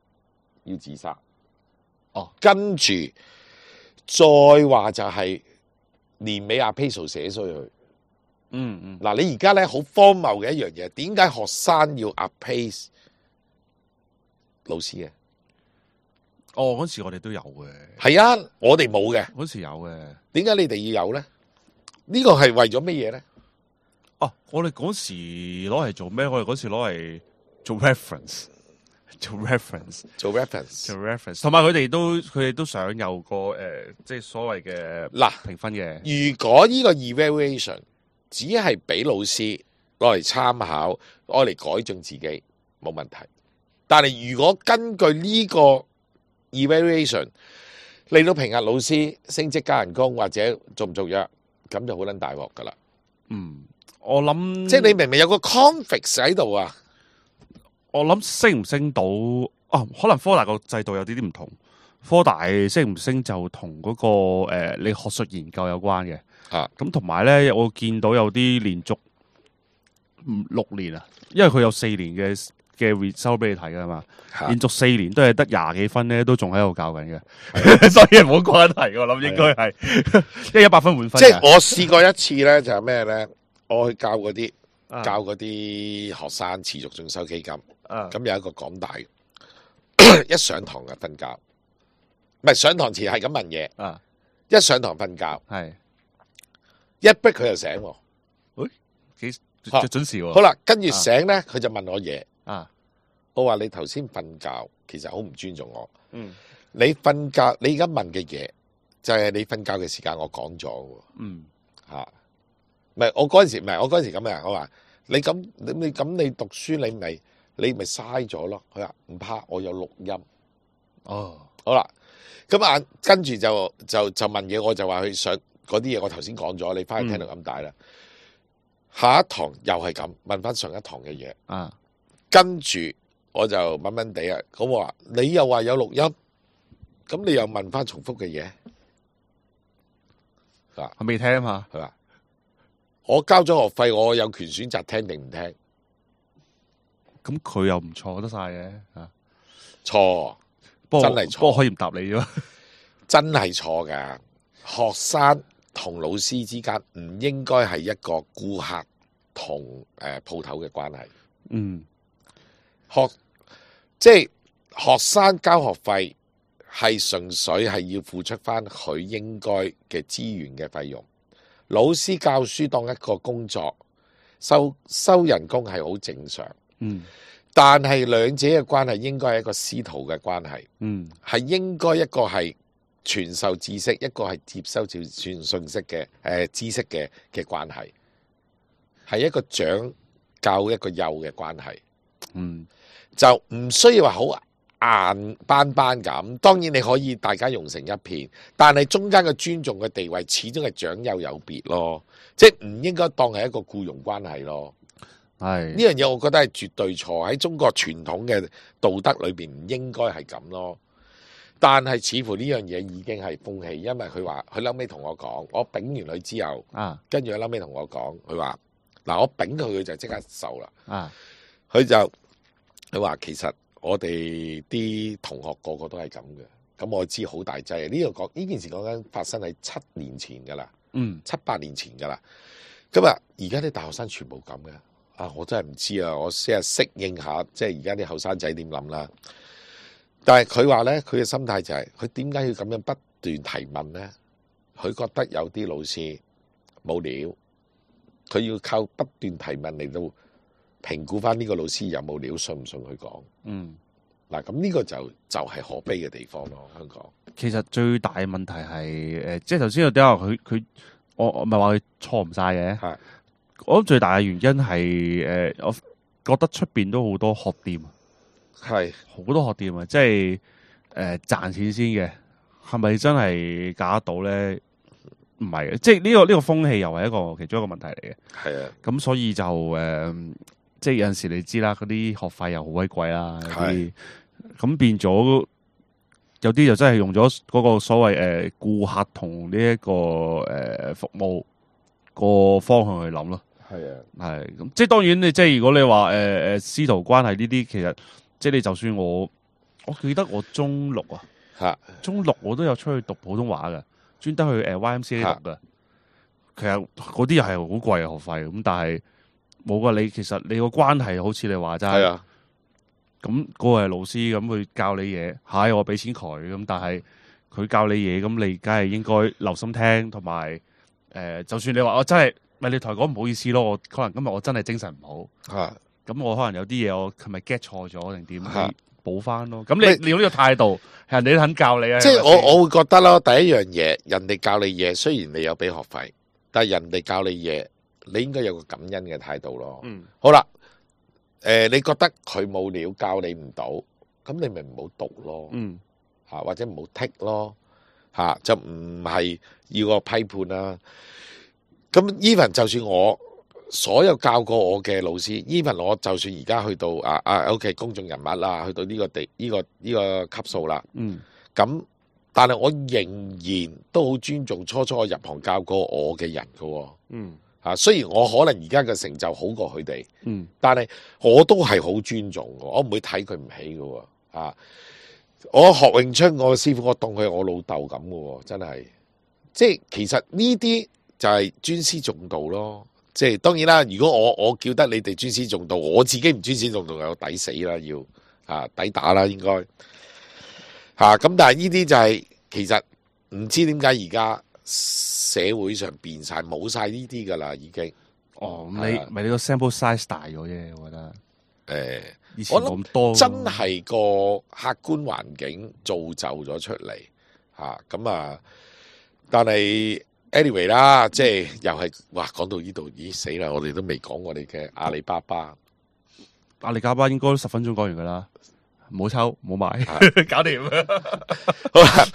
要自殺，哦，跟住再話就係年尾阿 Peso 寫衰佢，嗱你而家咧好荒謬嘅一樣嘢，點解學生要阿 Peso 老師嘅？哦，嗰時我哋都有嘅，係啊，我哋冇嘅，嗰時有嘅，點解你哋要有咧？呢個係為咗乜嘢咧？哦，我哋嗰時攞嚟做咩？我哋嗰時攞嚟做 reference，同埋佢哋都想有個即係所謂嘅嗱評分嘅。如果呢個 evaluation 只係俾老師攞嚟參考，攞嚟改進自己，冇問題。但係如果根據呢個 evaluation 嚟到評核老師升職加人工或者續唔續約，咁就好撚大鑊噶啦。我諗即係你明明有個 conflict 喺度啊。我諗升唔升到可能科大個制度有啲唔同。科大升唔升就同嗰個你學術研究有關嘅。咁同埋咧，我見到有啲連續6年啊，因為佢有4年嘅嘅收俾你睇噶嘛，嚇連續4年都係得廿幾分咧，都仲喺度教緊嘅，所以冇關係我諗應該係，因為100分滿分嘅。即係我試過一次咧，就係咩咧？我去教嗰啲啊教嗰啲學生持續進修基金，啊咁有一個港大嘅一上堂就瞓覺，唔係上堂前係咁問嘢，啊一上堂瞓覺，係一逼佢就醒喎。幾嚇準時喎。好啦，跟住醒咧，佢就問我嘢。啊我話你頭先瞓覺，其實好唔尊重我。嗯你瞓覺，你而家問嘅嘢就係你瞓覺嘅時間，我講咗喎。嗯嚇，唔係我嗰陣時，唔係我嗰陣時咁嘅。我話你咁，你讀書，你咪嘥咗咯。佢話唔怕，我有錄音。哦好啦，咁啊，跟住就問嘢，我就話佢想嗰啲嘢，我頭先講咗，你翻去聽到咁大啦。下一堂又係咁問翻上一堂嘅嘢，啊跟住我就悶悶地啊。咁我話你又話有錄音，咁你又問翻重複嘅嘢，我未聽嘛。係嘛？我交咗學費，我有權選擇聽定唔聽。咁佢又唔錯得晒嘅啊，錯，不過真係錯不過可以唔答你啫。真係錯㗎。學生同老師之間唔應該係一個顧客同鋪頭嘅關係。嗯即係學生交學費係純粹係要付出翻佢應該嘅資源嘅費用。老師教書當一個工作，收人工係好正常。嗯但係兩者嘅關係應該係一個師徒嘅關係，嗯係應該一個係傳授知識，一個係接收傳信息嘅知識嘅關係，係一個長教一個幼嘅關係，嗯就唔需要話好硬班班咁。當然你可以大家融成一片，但係中間嘅尊重嘅地位始終係長幼有別咯，即係唔應該當係一個僱傭關係咯。係呢樣嘢我覺得係絕對錯，喺中國傳統嘅道德裏邊唔應該係咁咯。但係似乎呢樣嘢已經係風氣，因為佢話佢後尾同我講，我丙完佢之後，啊跟住佢後尾同我講，佢話嗱我丙佢就即刻受啦。啊佢話其實我哋啲同學個個都係咁嘅，咁我知好大劑。呢件事講緊發生喺7年前噶啦，7-8年前噶啦。咁啊，而家啲大學生全部咁嘅。啊！我真係唔知啊，我先係適應下，即係而家啲後生仔點諗啦。但係佢話咧，佢嘅心態就係佢點解要咁樣不斷提問咧？佢覺得有啲老師冇料，佢要靠不斷提問嚟到評估翻呢個老師有冇料，信唔信佢講？嗱，咁呢個就係可悲嘅地方咯，香港。其實最大嘅問題係即係頭先有啲話佢我唔係話佢錯唔晒嘅。係我諗最大嘅原因係我覺得出邊都好多學店，係好多學店啊，即係賺錢先嘅，係咪真係搞得到咧？唔係嘅，即係呢個風氣又係一個其中一個問題嚟嘅。係啊，咁所以就即係有陣時你知啦，嗰啲學費又好鬼貴啦，有啲咁變咗有啲就真係用咗嗰個所謂顧客同呢一個服務個方向去諗咯。係啊，係咁，即係當然你即係如果你話師徒關係呢啲，其實即係你就算我記得我中六啊，中六我都有出去讀普通話嘅，專登去YMCA 讀嘅。其實嗰啲又係好貴嘅學費，咁但係冇噶，你其實你個關係好似你話齋，係啊，咁嗰個係老師咁佢教你嘢，係我俾錢佢，咁但係佢教你嘢，咁你梗係應該留心聽，同埋就算你話我真係。咪你同佢講唔好意思咯，我可能今日我真係精神唔好，咁我可能有啲嘢我係咪 get 錯咗定點，你補翻咯。咁你用呢個態度，人哋都肯教你啊。即係我會覺得咯，第一樣嘢，人哋教你嘢，雖然你有俾學費，但係人哋教你嘢，你應該有個感恩嘅態度咯。好啦，你覺得佢冇料教你唔到，咁你咪唔好讀咯。或者唔好剔咯，就唔係要個批判啦。咁 even 就算我所有教過我嘅老師 ，even 我就算而家去到OK 公眾人物啦，去到呢個級數啦，咁但係我仍然都好尊重初我入行教過我嘅人㗎喎，雖然我可能而家嘅成就好過佢哋，嗯，但係我都係好尊重嘅，我唔會睇佢唔起嘅喎。我學詠春，我師傅我當佢係我老豆咁嘅喎，真係。即係其實呢啲就係尊師重道咯。即係當然啦，如果我叫得你哋尊師重道，我自己唔尊師重道，有抵死啦，要抵打啦，應該咁。但係呢啲就係其實唔知點解而家社會上變晒冇晒呢啲噶啦，已經。哦，你個 sample size 大咗啫，我覺得。以前我冇咁多。真係個客觀環境造就咗出嚟咁但係 anyway 啦，即係又係哇，講到呢度，咦死啦！我哋都未講我哋嘅阿里巴巴。阿里巴巴應該都10分鐘講完噶啦，唔好抽，唔好買，搞掂。好啦，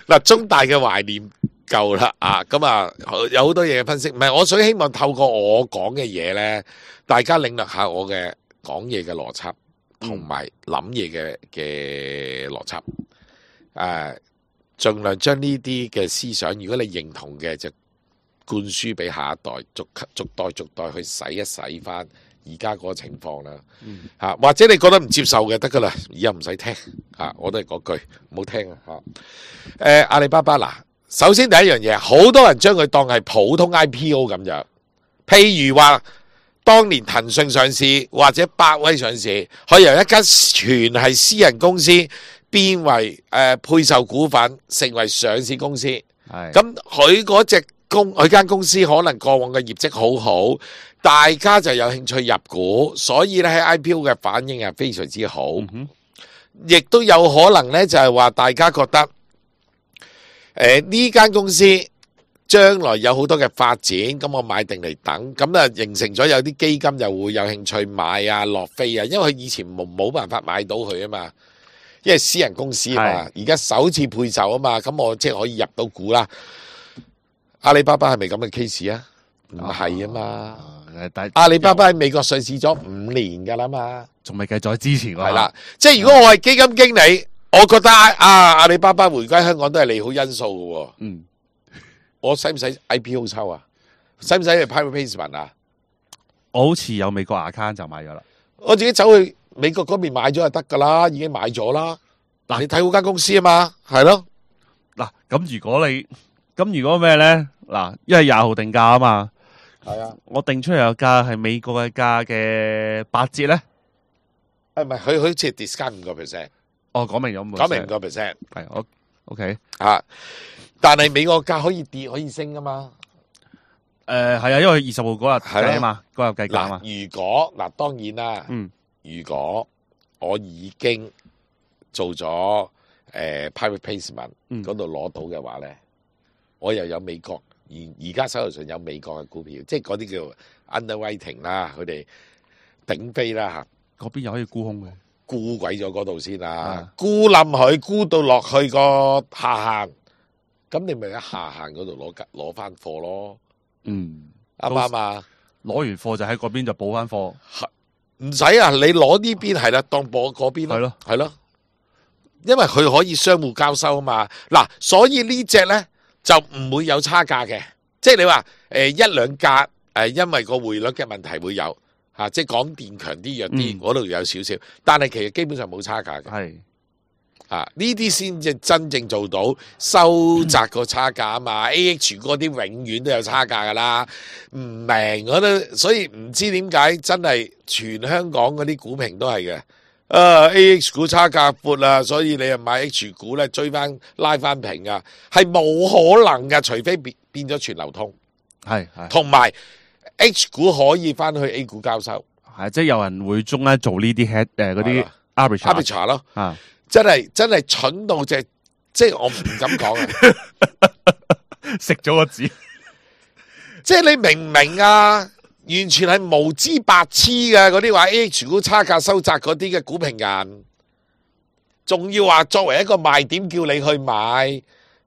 嗱，中大嘅懷念夠啦有好多嘢嘅分析，唔係我想希望透過我講嘅嘢咧，大家領略下我嘅講嘢嘅邏輯，同埋諗嘢嘅邏輯，盡量將呢啲嘅思想，如果你認同嘅，就灌輸俾下一代，逐代去洗一洗翻而家嗰個情況啦。或者你覺得唔接受嘅得噶啦，而家唔使聽我都係嗰句，唔好聽阿里巴巴嗱，首先第一樣嘢，好多人將佢當係普通 IPO 咁樣，譬如話當年騰訊上市或者百威上市，可以由一間全係私人公司變為配售股份，成為上市公司。咁佢間公司可能過往嘅業績好好，大家就有興趣入股，所以咧喺 IPO 嘅反應係非常之好。亦都有可能咧，就係話大家覺得呢間公司將來有好多嘅發展，咁我買定嚟等，咁形成咗有啲基金又會有興趣買落飛因為佢以前冇辦法買到佢啊嘛。因為私人公司啊嘛，而家首次配售啊嘛，咁我即係可以入到股啦。阿里巴巴係咪咁嘅 case 啊？唔係啊嘛，阿里巴巴喺美國上市咗5年噶啦嘛，仲未計在之前係啦。即係如果我係基金經理，我覺得阿里巴巴回歸香港都係利好因素嘅。我使唔使 IPO 抽啊？使唔使去 private placement 啊？我好似有美國 account 就買咗啦，我自己走去美國嗰邊買咗就得噶啦，已經買咗啦。你睇好間公司啊嘛，係咯。咁如果咩咧？因為20號定價啊嘛，係啊，我定出嚟個價係美國嘅價嘅8折咧。唔係，佢好似 discount 5%。哦，講明咗講明5%。係我 OK 但係美國價可以跌可以升噶嘛？係啊，因為20號嗰日計啊嘛，嗰日計價啊嘛。如果當然啦，如果我已經做咗private placement 嗰度攞到嘅話咧，我又有美國而家手頭上有美國嘅股票，即係嗰啲叫 underwriting 啦，佢哋頂飛啦嗰邊又可以沽空嘅，沽鬼咗嗰度先啦，沽冧佢，沽到落去個下限，咁你咪喺下限嗰度攞翻貨咯。啱唔啱啊？攞完貨就喺嗰邊就補翻貨，唔使啊！你攞呢邊係啦，當播嗰邊咯，係咯，因為佢可以相互交收啊嘛。嗱，所以呢隻咧就唔會有差價嘅，即係你話1-2格因為個匯率嘅問題會有即係港電強啲弱啲，嗰度有少少，但係其實基本上冇差價嘅。係呢啲先至真正做到收窄個差價啊嘛。AH 嗰啲永遠都有差價噶啦，唔明我都，所以唔知點解真係全香港嗰啲股評都係嘅。AH 股差價闊啊，所以你又買 H 股咧追翻拉翻平啊，係冇可能噶，除非變咗全流通，係同埋 H 股可以翻去 A 股交收，係即係有人會中咧做呢啲 head 嗰啲 arbitrage 咯真係蠢到即係我唔敢講啊！食咗個字，即係你明唔明啊？完全係無知白痴嘅嗰啲話 AH 股差價收窄嗰啲嘅股評人，仲要話作為一個賣點叫你去買，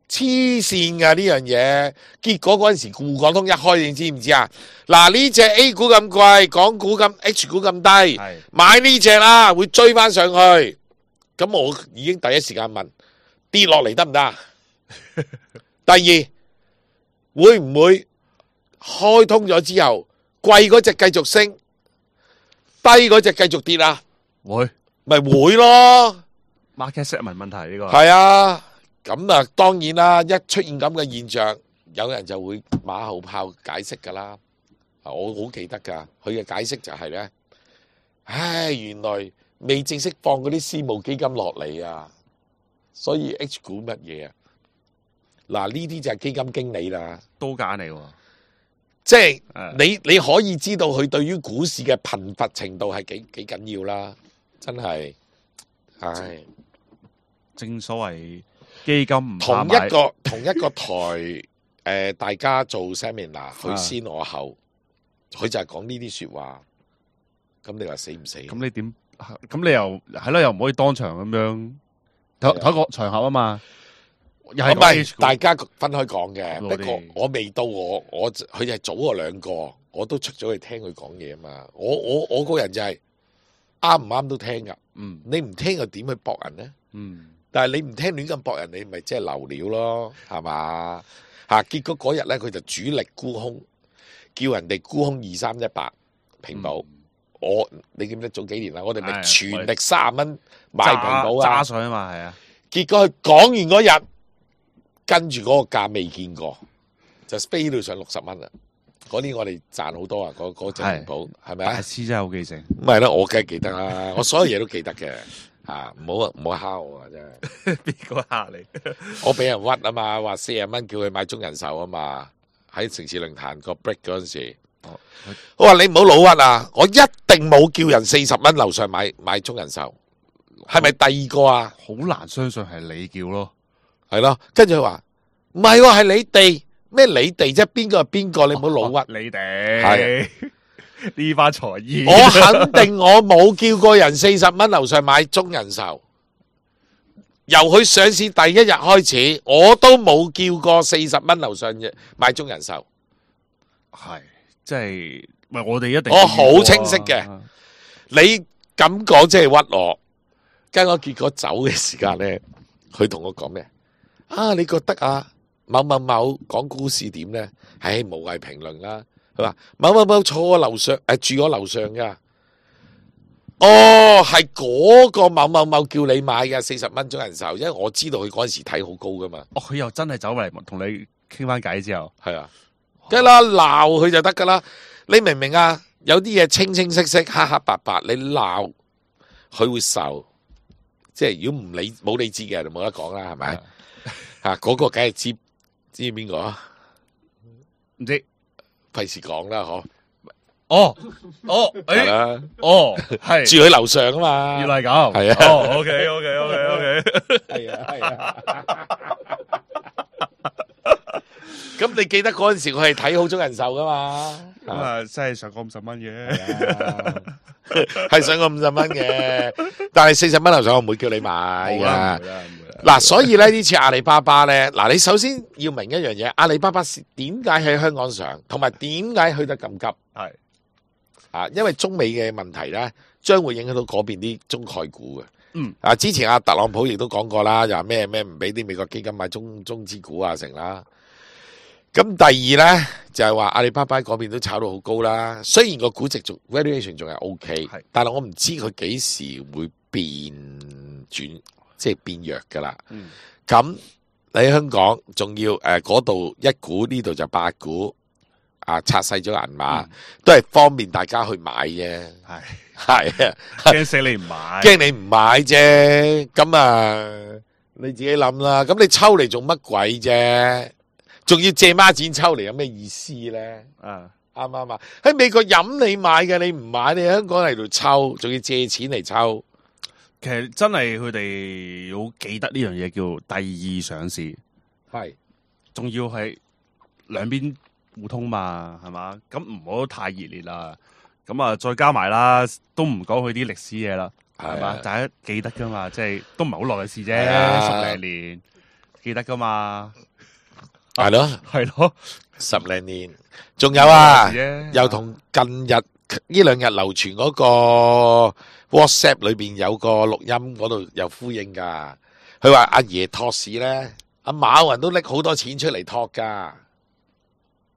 黐線噶呢樣嘢。結果嗰陣時滬港通一開，你知唔知啊？嗱，呢隻 A 股咁貴，港股咁 H 股咁低，買呢隻啦，會追翻上去。咁我已經第一時間問跌落嚟得唔得？第二會唔會開通咗之後，貴嗰隻繼續升，低嗰隻繼續跌啊？會咪會咯， market segment 問題呢個係啊。咁啊，當然啦，一出現咁嘅現象，有人就會馬後炮解釋噶啦。我好記得噶，佢嘅解釋就係咧，唉，原來未正式放嗰啲私募基金落嚟啊，所以 H 股乜嘢啊？嗱，呢啲就係基金經理啦，刀揀嚟喎。即係誒你可以知道佢對於股市嘅貧乏程度係幾緊要啦，真係，唉。正所謂基金唔同怕買一個台，大家做 seminar，佢先我後，佢就係講呢啲說話。咁你話死唔死？咁你點？咁你又係咯，又唔可以當場咁樣同一個場合啊嘛。又係唔係 H 股大家分開講嘅。我哋不過我未到我佢就係早我兩個，我都出咗去聽佢講嘢啊嘛。我個人就係啱唔啱都聽噶。嗯你唔聽又點去駁人呢？嗯但係你唔聽亂咁駁人，你咪即係流料咯，係嘛？嚇！結果嗰日咧，佢就主力沽空，叫人哋沽空2318平保。你記唔記得早幾年啦？我哋咪係全力30蚊買平保啊！揸水啊嘛，係啊。結果佢講完嗰日，跟住嗰個價未見過，就飛到上60蚊啦。嗰年我哋賺好多啊！嗰隻平保係咪啊？大師真係好記性。咁係啦，我梗係記得啦，我所有嘢都記得嘅。唔好蝦我啊！真係邊個嚇你？我俾人屈啊嘛，話40蚊叫佢買中人壽啊嘛，喺城市論壇個 break 嗰陣時，我話你唔好老屈啊！我一定冇叫人40蚊樓上買中人壽，係咪第二個啊？好難相信係你叫咯。係咯，跟住佢話唔係喎，係你哋咩？你哋啫，邊個係邊個？你唔好老屈。你哋呢番才藝，我肯定我冇叫過人40蚊樓上買中人壽，由佢上市第一日開始，我都冇叫過40蚊樓上買中人壽。係即係唔係我哋一定我好清晰嘅。你咁講即係屈我，跟我結果走嘅時間咧，佢同我講咩？啊，你覺得啊，某某某講股市點咧？唉，無謂評論啦。佢話某某某坐我樓上，住我樓上噶。哦，係嗰個某某某叫你買嘅40蚊中人壽，因為我知道佢嗰陣時睇好高噶嘛。哦，佢又真係走嚟同你傾翻偈之後，係啊，梗係啦，鬧佢就得噶啦。你明唔明啊？有啲嘢清清晰晰、黑黑白白，你鬧佢會受。即係如果唔理冇理智嘅人就冇得講啦，係咪？嗰個梗係知邊個啊？唔知費事講啦，嗬。哦，係啦，係住佢樓上啊嘛。原來係咁，係啊。哦，OK，係啊。咁你記得嗰陣時，我係睇好中人壽噶嘛？咁啊，真係上過50蚊嘅，係上過50蚊嘅，但係40蚊樓上我唔會叫你買噶。嗱，所以咧呢次阿里巴巴咧，嗱你首先要明一樣嘢，阿里巴巴點解喺香港上，同埋點解去得咁急？係因為中美嘅問題咧，將會影響到嗰邊啲中概股嘅。之前阿特朗普亦都講過啦，又話咩唔俾啲美國基金買中資股啊成啦。咁第二咧就係話阿里巴巴嗰邊都炒到好高啦，雖然個估值仲 valuation 仲係 OK，但係我唔知佢幾時會變轉，即係變弱噶啦。咁你喺香港仲要嗰度一股呢度就8股，拆細咗銀碼，都係方便大家去買啫。係啊，驚死你唔買，驚你唔買啫。咁啊，你自己諗啦。咁你抽嚟做乜鬼啫？仲要借孖展抽嚟，有咩意思咧？啱唔啱啊？喺美國任你買嘅，你唔買，你喺香港嚟度抽，仲要借錢嚟抽。其實真係佢哋好記得呢樣嘢叫第二上市，係，仲要係兩邊互通嘛，係嘛？咁唔好太熱烈啦。咁啊，再加埋啦，都唔講佢啲歷史嘢啦，係嘛？大家記得噶嘛，即係都唔係好耐嘅事啫，10零年記得噶嘛。係咯，10零年，仲有啊，又同近日呢2日流傳嗰個 WhatsApp 裏邊有個錄音嗰度有呼應噶。佢話阿爺托市咧，阿馬雲都拎好多錢出嚟托噶。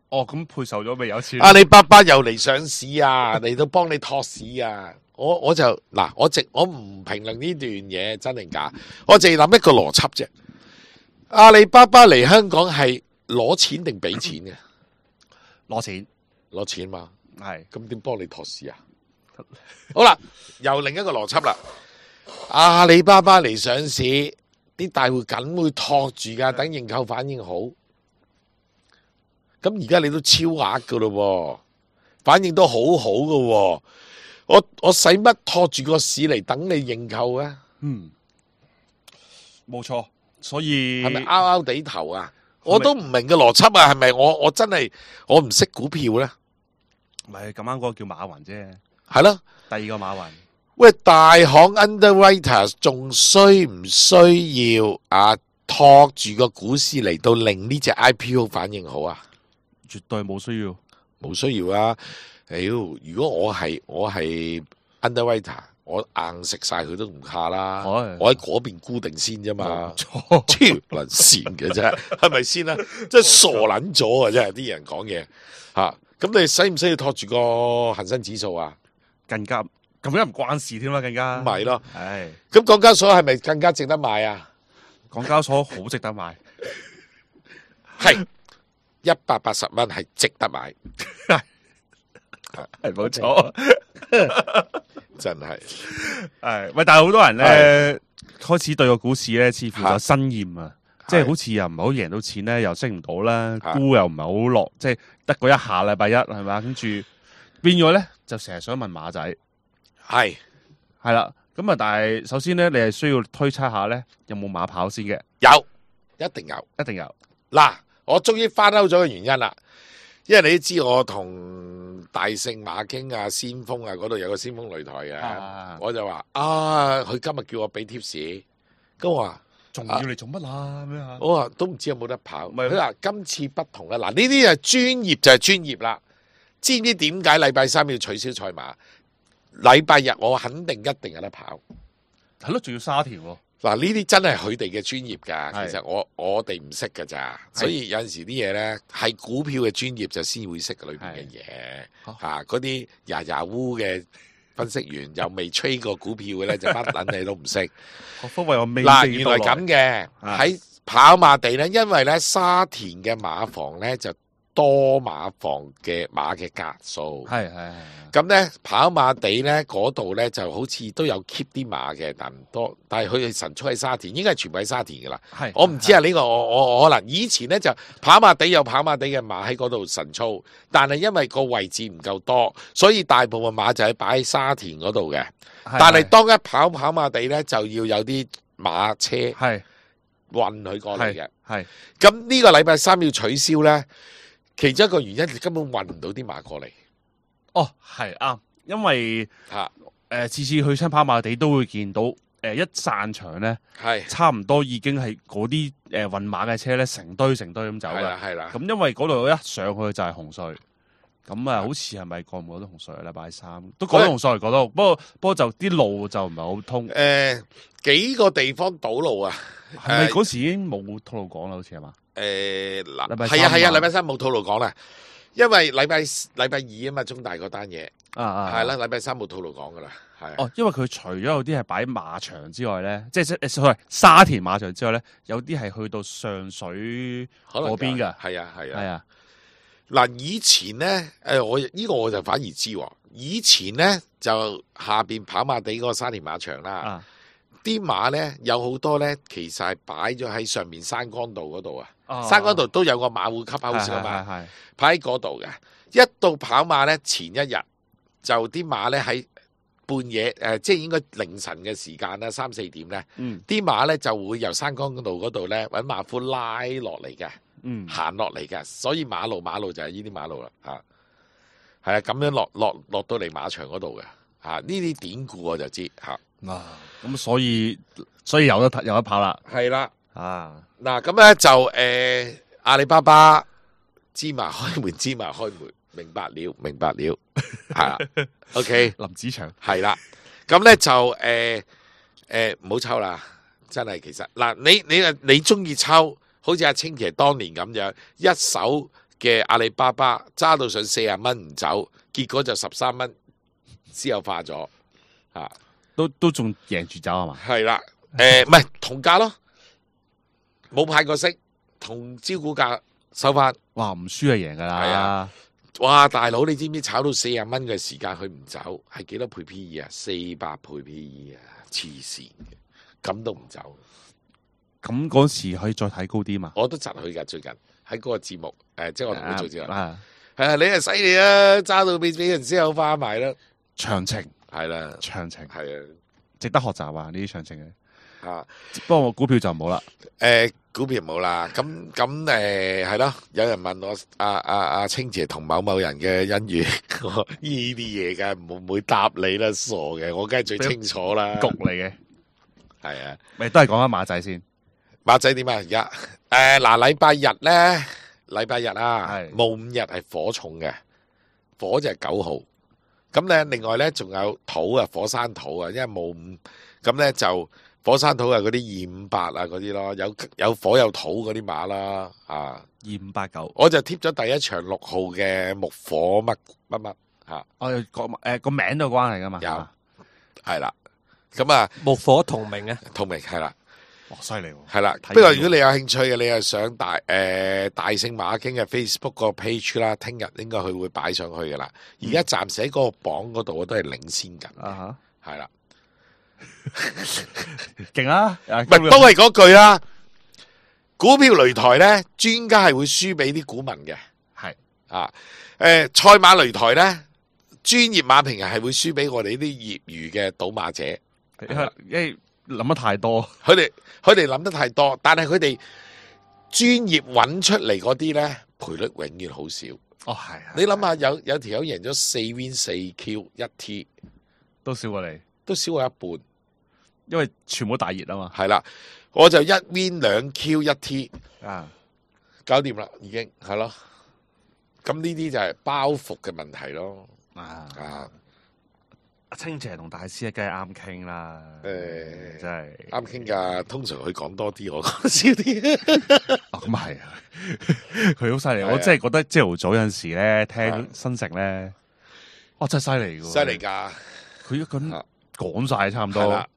哦，咁配售咗未有錢？阿里巴巴又嚟上市啊，嚟到幫你托市啊！我就嗱，我唔評論呢段嘢真定假，我淨係諗一個邏輯啫。阿里巴巴嚟香港係攞錢定俾錢嘅？攞錢，攞錢嘛，係咁點幫你托市啊？好啦，又另一個邏輯啦。阿里巴巴嚟上市，啲大戶梗會托住噶，等認購反應好。咁而家你都超額噶咯，反應都好好噶。我使乜托住個市嚟等你認購啊？冇錯，所以係咪拗拗地頭啊？我都唔明嘅邏輯啊，係咪我真係我唔識股票咧？唔係咁啱嗰個叫馬雲啫，係咯，第二個馬雲。喂，大行 underwriters 仲需唔需要托住個股市嚟到令呢隻 IPO 反應好啊？絕對冇需要，冇需要啊！如果我係 underwriter，我硬食晒佢都唔怕啦。我喺嗰邊固定先啫嘛，超撚線嘅啫，係咪先啦？即係傻撚咗啊！真係啲人講嘢吓，咁你使唔使要托住個恒生指數啊？更加咁樣唔關事添啦，更加唔係咯。唉，咁港交所係咪更加值得買啊？港交所好值得買，係180蚊係值得買，係冇錯。真係係喂，但係好多人咧開始對個股市咧似乎就生厭啊，即係好似又唔係好贏到錢咧，又升唔到啦，沽又唔係好落，即係得嗰一下禮拜一係咪？跟住變咗咧就成日想問馬仔，係啦，咁啊，但係首先咧，你係需要推測下咧有冇馬跑先嘅，有，一定有，一定有。嗱，我終於翻歐咗嘅原因啦，因為你都知我同大聖馬經啊、先鋒啊嗰度有個先鋒擂台嘅，我就話佢今日叫我俾貼士，咁我話仲要嚟做乜啊？咁樣我話都唔知有冇得跑，佢話今次不同啦，嗱呢啲係專業就係專業啦，知唔知點解禮拜三要取消賽馬？禮拜日我肯定一定有得跑，係咯，仲要沙田喎。嗱呢啲真係佢哋嘅專業㗎，其實我哋唔識㗎咋，所以有陣時啲嘢咧係股票嘅專業就先會識裏邊嘅嘢，嗰啲牙烏嘅分析員又未吹過股票嘅咧就乜撚你都唔識。嗱原來咁嘅喺跑馬地咧，因為咧沙田嘅馬房咧就多馬房嘅馬嘅格數，係咁咧跑馬地咧嗰度咧就好似都有 keep 啲馬嘅，但唔多。但係佢哋神速喺沙田，應該係全部喺沙田噶啦。我唔知啊，呢個我可能以前咧就跑馬地有跑馬地嘅馬喺嗰度神速，但係因為個位置唔夠多，所以大部分馬就係擺喺沙田嗰度嘅。但係當一跑馬地咧，就要有啲馬車運佢過嚟嘅。咁呢個禮拜三要取消咧。其中一個原因，你根本運唔到啲馬過嚟。哦，係啱，因為次次去親跑馬地都會見到，一散場咧，差唔多已經係嗰啲運馬嘅車咧，成堆咁走嘅。係啦。咁因為嗰度一上去就係紅隧，咁好似係咪過唔過到紅隧啊？禮拜三都過到紅隧，過到，不過就啲路就唔係好通。幾個地方堵路啊？係咪嗰時已經冇套路講啦？好似係嘛？嗱，係啊，禮拜三冇套路講啦，因為禮拜二啊嘛，中大嗰單嘢係啦，禮拜三冇套路講噶啦，係。哦，因為佢除咗有啲係擺馬場之外咧，即係沙田馬場之外咧，有啲係去到上水嗰邊噶，係啊。嗱，以前咧，我呢個我就反而知，以前咧就下邊跑馬地嗰個沙田馬場啦，啲馬咧有好多咧，其實係擺咗喺上面山崗道嗰度啊。山崗道都有個馬戶級好少嘛，擺喺嗰度嘅。一到跑馬咧，前一日就啲馬咧喺半夜即係應該凌晨嘅時間啦，3、4點咧，啲馬咧就會由山崗道嗰度咧揾馬夫拉落嚟嘅，行落嚟嘅。所以馬路就係呢啲馬路啦，係啊，咁樣落到嚟馬場嗰度嘅，呢啲典故我就知嚇。咁所以有得跑啦，係啦。嗱咁咧就阿里巴巴芝麻開門，明白了，係啦。OK， 林子祥係啦。咁咧就唔好抽啦，真係其實嗱，你中意抽，好似阿清奇當年咁樣，一手嘅阿里巴巴揸到上40蚊唔走，結果就13蚊私有化咗啊！都仲贏住走係嘛？係啦，唔係同價咯，冇派過息，同招股價收翻。哇，唔輸係贏㗎係啦啊！哇，大佬，你知唔知炒到40蚊嘅時間佢唔走，係幾多倍 P/E 啊？400倍 P/E 啊！黐線嘅，咁都唔走。咁嗰時可以再睇高啲嘛？我都窒佢㗎，最近喺嗰個節目，即係我同佢做節目。啊，係啊，你係犀利啊！揸到俾人私有化埋啦，詳情係啦，詳情係值得學習啊！呢啲詳情嘅，啊，不過我股票就冇啦。股票冇啦，咁係咯。有人問我阿清姐同某某人嘅恩怨，我呢啲嘢梗係唔會答你啦，傻嘅，我梗係最清楚啦。局嚟嘅，係啊，咪都係講翻馬仔先。馬仔點啊？而家嗱，禮拜日咧，禮拜日啊，係戊午日係火重嘅，火就係9號。咁咧，另外咧仲有土啊，火山土啊，因為戊午咁咧就火山土係嗰啲258啊嗰啲咯，有火有土嗰啲馬啦啊。 2589，我就貼咗第一場6號嘅木火乜吓，我個名都有關係噶嘛？有係啦。咁啊，木火同名啊，同名係啦。哇，犀利喎！係啦，睇不過如果你有興趣嘅，你係上大聖馬經嘅 Facebook 個 page 啦，聽日應該佢會擺上去噶啦。而家暫時喺嗰個榜嗰度，我都係領先緊嘅，啊係啦。哈，勁啊！唔係都係嗰句啦。股票擂台咧，專家係會輸俾啲股民嘅，係啊。賽馬擂台咧，專業馬評人係會輸俾我哋呢啲業餘嘅賭馬者。因為諗得太多，佢哋諗得太多，但係佢哋專業揾出嚟嗰啲咧，賠率永遠好少。哦係，你諗下，有條友贏咗4 win 4 Q 1 T，都少過你，都少過一半。因為全部大熱啊嘛。係啦，我就1 win 2 Q 1 T，啊，搞掂啦，已經係咯。咁呢啲就係包袱嘅問題咯。啊，阿清姐同大師梗係啱傾啦。真係啱傾㗎。通常佢講多啲，我講少啲。哦，咁係啊，佢好犀利。係啊我真係覺得朝頭早有陣時咧聽新城咧，哇真係犀利㗎。犀利㗎。佢一咁講晒差唔多。係啦。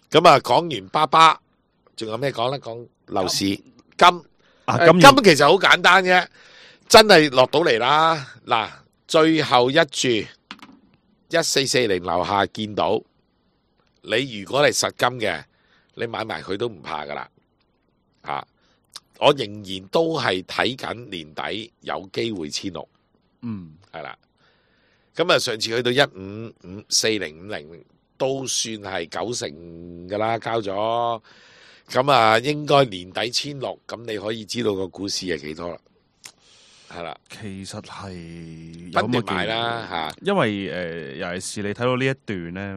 咁啊，講完巴巴，仲有咩講咧？講樓市金金其實好簡單嘅，真係落到嚟啦。嗱，最後一注1440樓下見到你，如果係實金嘅，你買埋佢都唔怕噶啦。啊，我仍然都係睇緊年底有機會16，係啦。咁啊，上次去到1554050。都算係90%噶啦，交咗咁啊，應該年底1600，咁你可以知道個股市係幾多啦，係啦。其實係不斷買啦嚇，因為尤其是你睇到呢一段咧，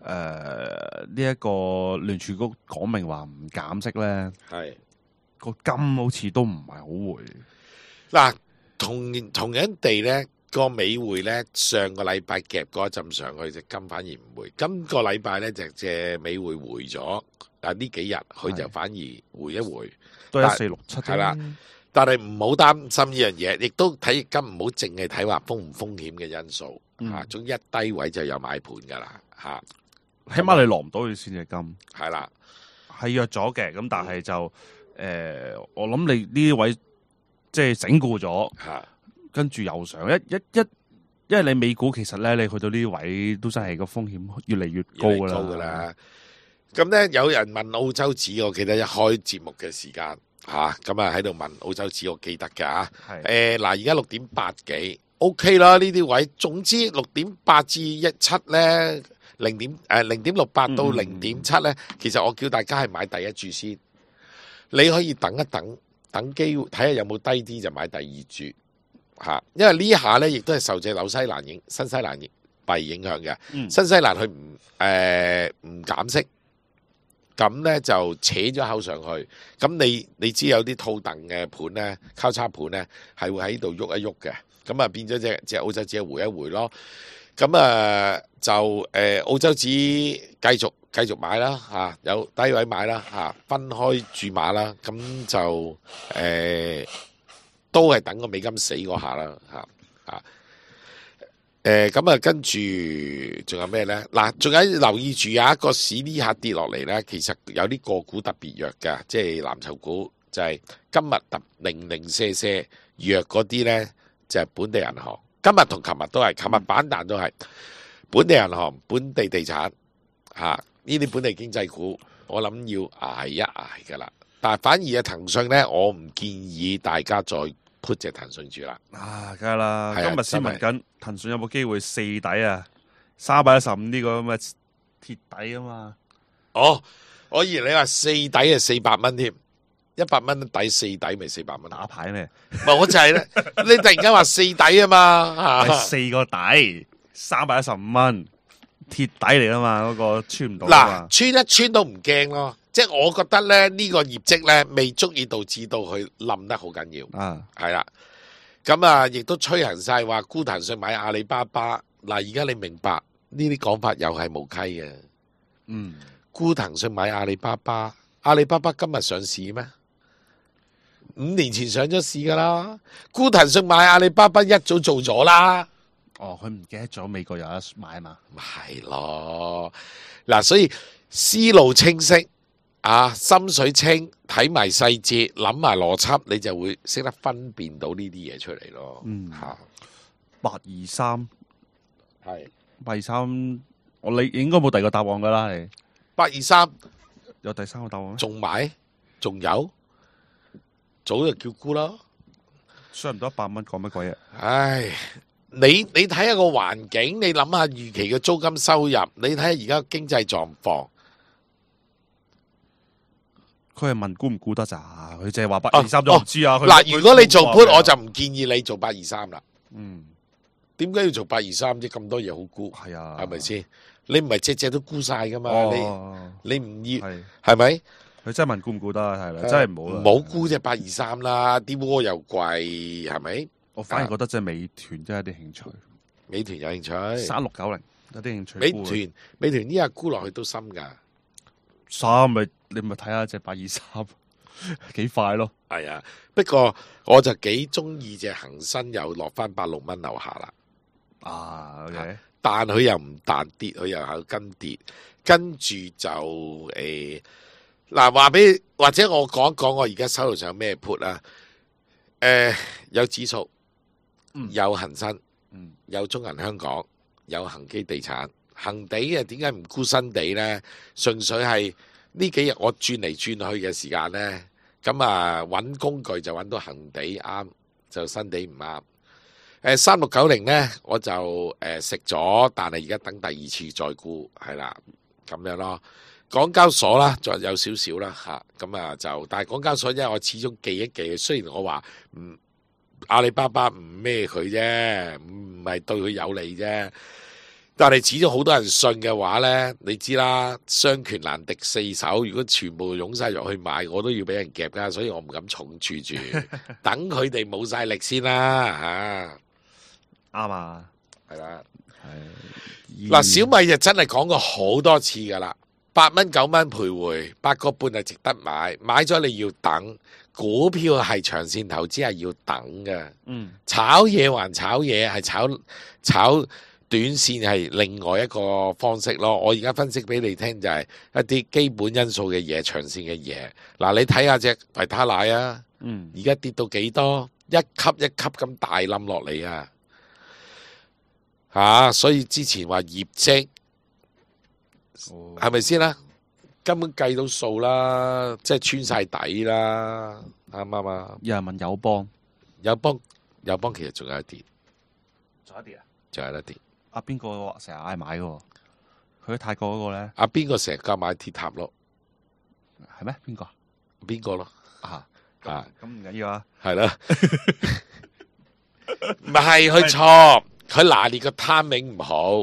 呢一個聯儲局講明話唔減息咧，係個金好似都唔係好回。嗱，同樣地咧。個美匯咧，上個禮拜夾嗰一陣上去，隻金反而唔會。今個禮拜咧就隻美匯回咗，但呢幾日佢就反而回一回，都係1467係啦。但係唔好擔心呢樣嘢，亦都睇金唔好淨係睇話風唔風險嘅因素嚇。總之一低位就有買盤㗎啦嚇。起碼你落唔到去先隻金，係啦，係弱咗嘅。咁但係就我諗你呢啲位即係整固咗嚇。跟住又上因為你美股其實咧，你去到呢啲位都真係個風險越嚟越高噶啦。咁咧有人問澳洲紙，我記得一開節目嘅時間嚇，咁啊喺度問澳洲紙，我記得㗎嚇。嗱，而家6.8幾 OK 啦，呢啲位。總之6.8至17咧，0.68到0.7咧，其實我叫大家係買第一注先。你可以等一等，等機會睇下有冇低啲就買第二注。嚇，因為呢下咧，亦都係受隻新西蘭幣影響嘅。新西蘭佢唔減息，咁咧就扯咗口上去。咁你知有啲套凳嘅盤咧，交叉盤咧係會喺度喐一喐嘅。咁啊變咗隻澳洲紙回一回咯。咁就澳洲紙繼續買啦嚇，有低位買啦嚇，分開注碼啦。咁就都係等個美金死嗰下啦咁啊，跟住仲有咩咧？嗱，仲有留意住有一個市呢下跌落嚟咧，其實有啲個股特別弱嘅，即係藍籌股就係今日特零零舍舍弱嗰啲咧，就係本地銀行。今日同琴日都係，琴日反彈都係本地銀行、本地地產呢啲本地經濟股，我諗要捱一捱噶啦。但係反而騰訊咧，我唔建議大家再 put 隻騰訊住啦。梗係啦，係啊今日先問緊騰訊有冇機會四底啊？315呢個咁嘅鐵底啊嘛。哦，我以為你話四底係400蚊添，100蚊底四底咪400蚊。打牌咩？唔係我就係咧，你突然間話四底啊嘛係4個底，315蚊，鐵底嚟啊嘛，嗰個穿唔到啊嘛。嗱，穿一穿都唔驚咯，即係我覺得咧呢個業績咧未足以導致到佢冧得好緊要。係啦，咁啊亦都吹行晒話沽騰訊買阿里巴巴。嗱，而家你明白呢啲講法又係無稽嘅。沽騰訊買阿里巴巴，阿里巴巴今日上市咩？5年前上咗市噶啦，沽騰訊買阿里巴巴一早做咗啦。哦，佢唔記得咗美國有得買嘛？咪係咯，嗱，所以思路清晰心水清，睇埋細節，諗埋邏輯，你就會識得分辨到呢啲嘢出嚟咯。823係823，你應該冇第二個答案噶啦，你823有第三個答案咩？仲買，仲有，早就叫沽啦。上唔到100蚊，講乜鬼嘢？唉，你睇下個環境，你諗下預期嘅租金收入，你睇下而家經濟狀況。佢係問估唔估得咋？佢淨係話823都唔知啊。嗱，如果你做 put，我就唔建議你做823啦。點解要做823啫？咁多嘢好估，係啊，係咪先？你唔係隻隻都估晒噶嘛？你唔要係咪？佢真係問估唔估得，係啦，真係唔好啦，唔好估隻823啦，啲鍋又貴，係咪？我反而覺得即係美團真係有啲興趣。美團有興趣，3690有啲興趣。美團呢下沽落去都深噶。你咪睇下隻823幾快咯。係啊，不過我就幾中意隻恒生又落翻86蚊樓下啦。OK，但佢又唔彈跌，佢又有跟跌，跟住就嗱話俾或者我講一講我而家手頭上有咩 put 啦。有指數，有恒生，有中銀香港，有恒基地產。恒地點解唔沽新地咧？純粹係呢幾日我轉嚟轉去嘅時間咧，咁揾工具就揾到恒地啱，就新地唔啱。3690咧，我就食咗，但係而家等第二次再沽，係啦，咁樣咯。港交所啦，仲有少少啦咁就，但係港交所因為我始終記一記，雖然我話阿里巴巴唔孭佢啫，唔係對佢有利啫，但係始終好多人信嘅話咧，你知啦，雙拳難敵四手，如果全部湧晒入去買，我都要俾人夾噶，所以我唔敢重注住，等佢哋冇晒力先啦啱啊，係啦，係嗱，小米就真係講過好多次噶啦，8蚊9蚊徘徊，8個半係值得買，買咗你要等，股票係長線投資係要等嘅，炒嘢還炒嘢，係炒短線係另外一個方式咯。我而家分析俾你聽就係一啲基本因素嘅嘢，長線嘅嘢。嗱，你睇下隻維他奶啊，而家跌到幾多，一級一級咁大冧落嚟啊！所以之前話業績係咪先啦？根本計到數啦，即係穿晒底啦，啱唔啱啊？有人問友邦其實仲有一跌，仲有一跌。邊個成日嗌買嘅？佢喺泰國嗰個咧？邊個成日夾買鐵塔咯？係咩？邊個？邊個咯？咁唔緊要啊。係啦，唔係佢錯。佢拿捏個 timing 唔好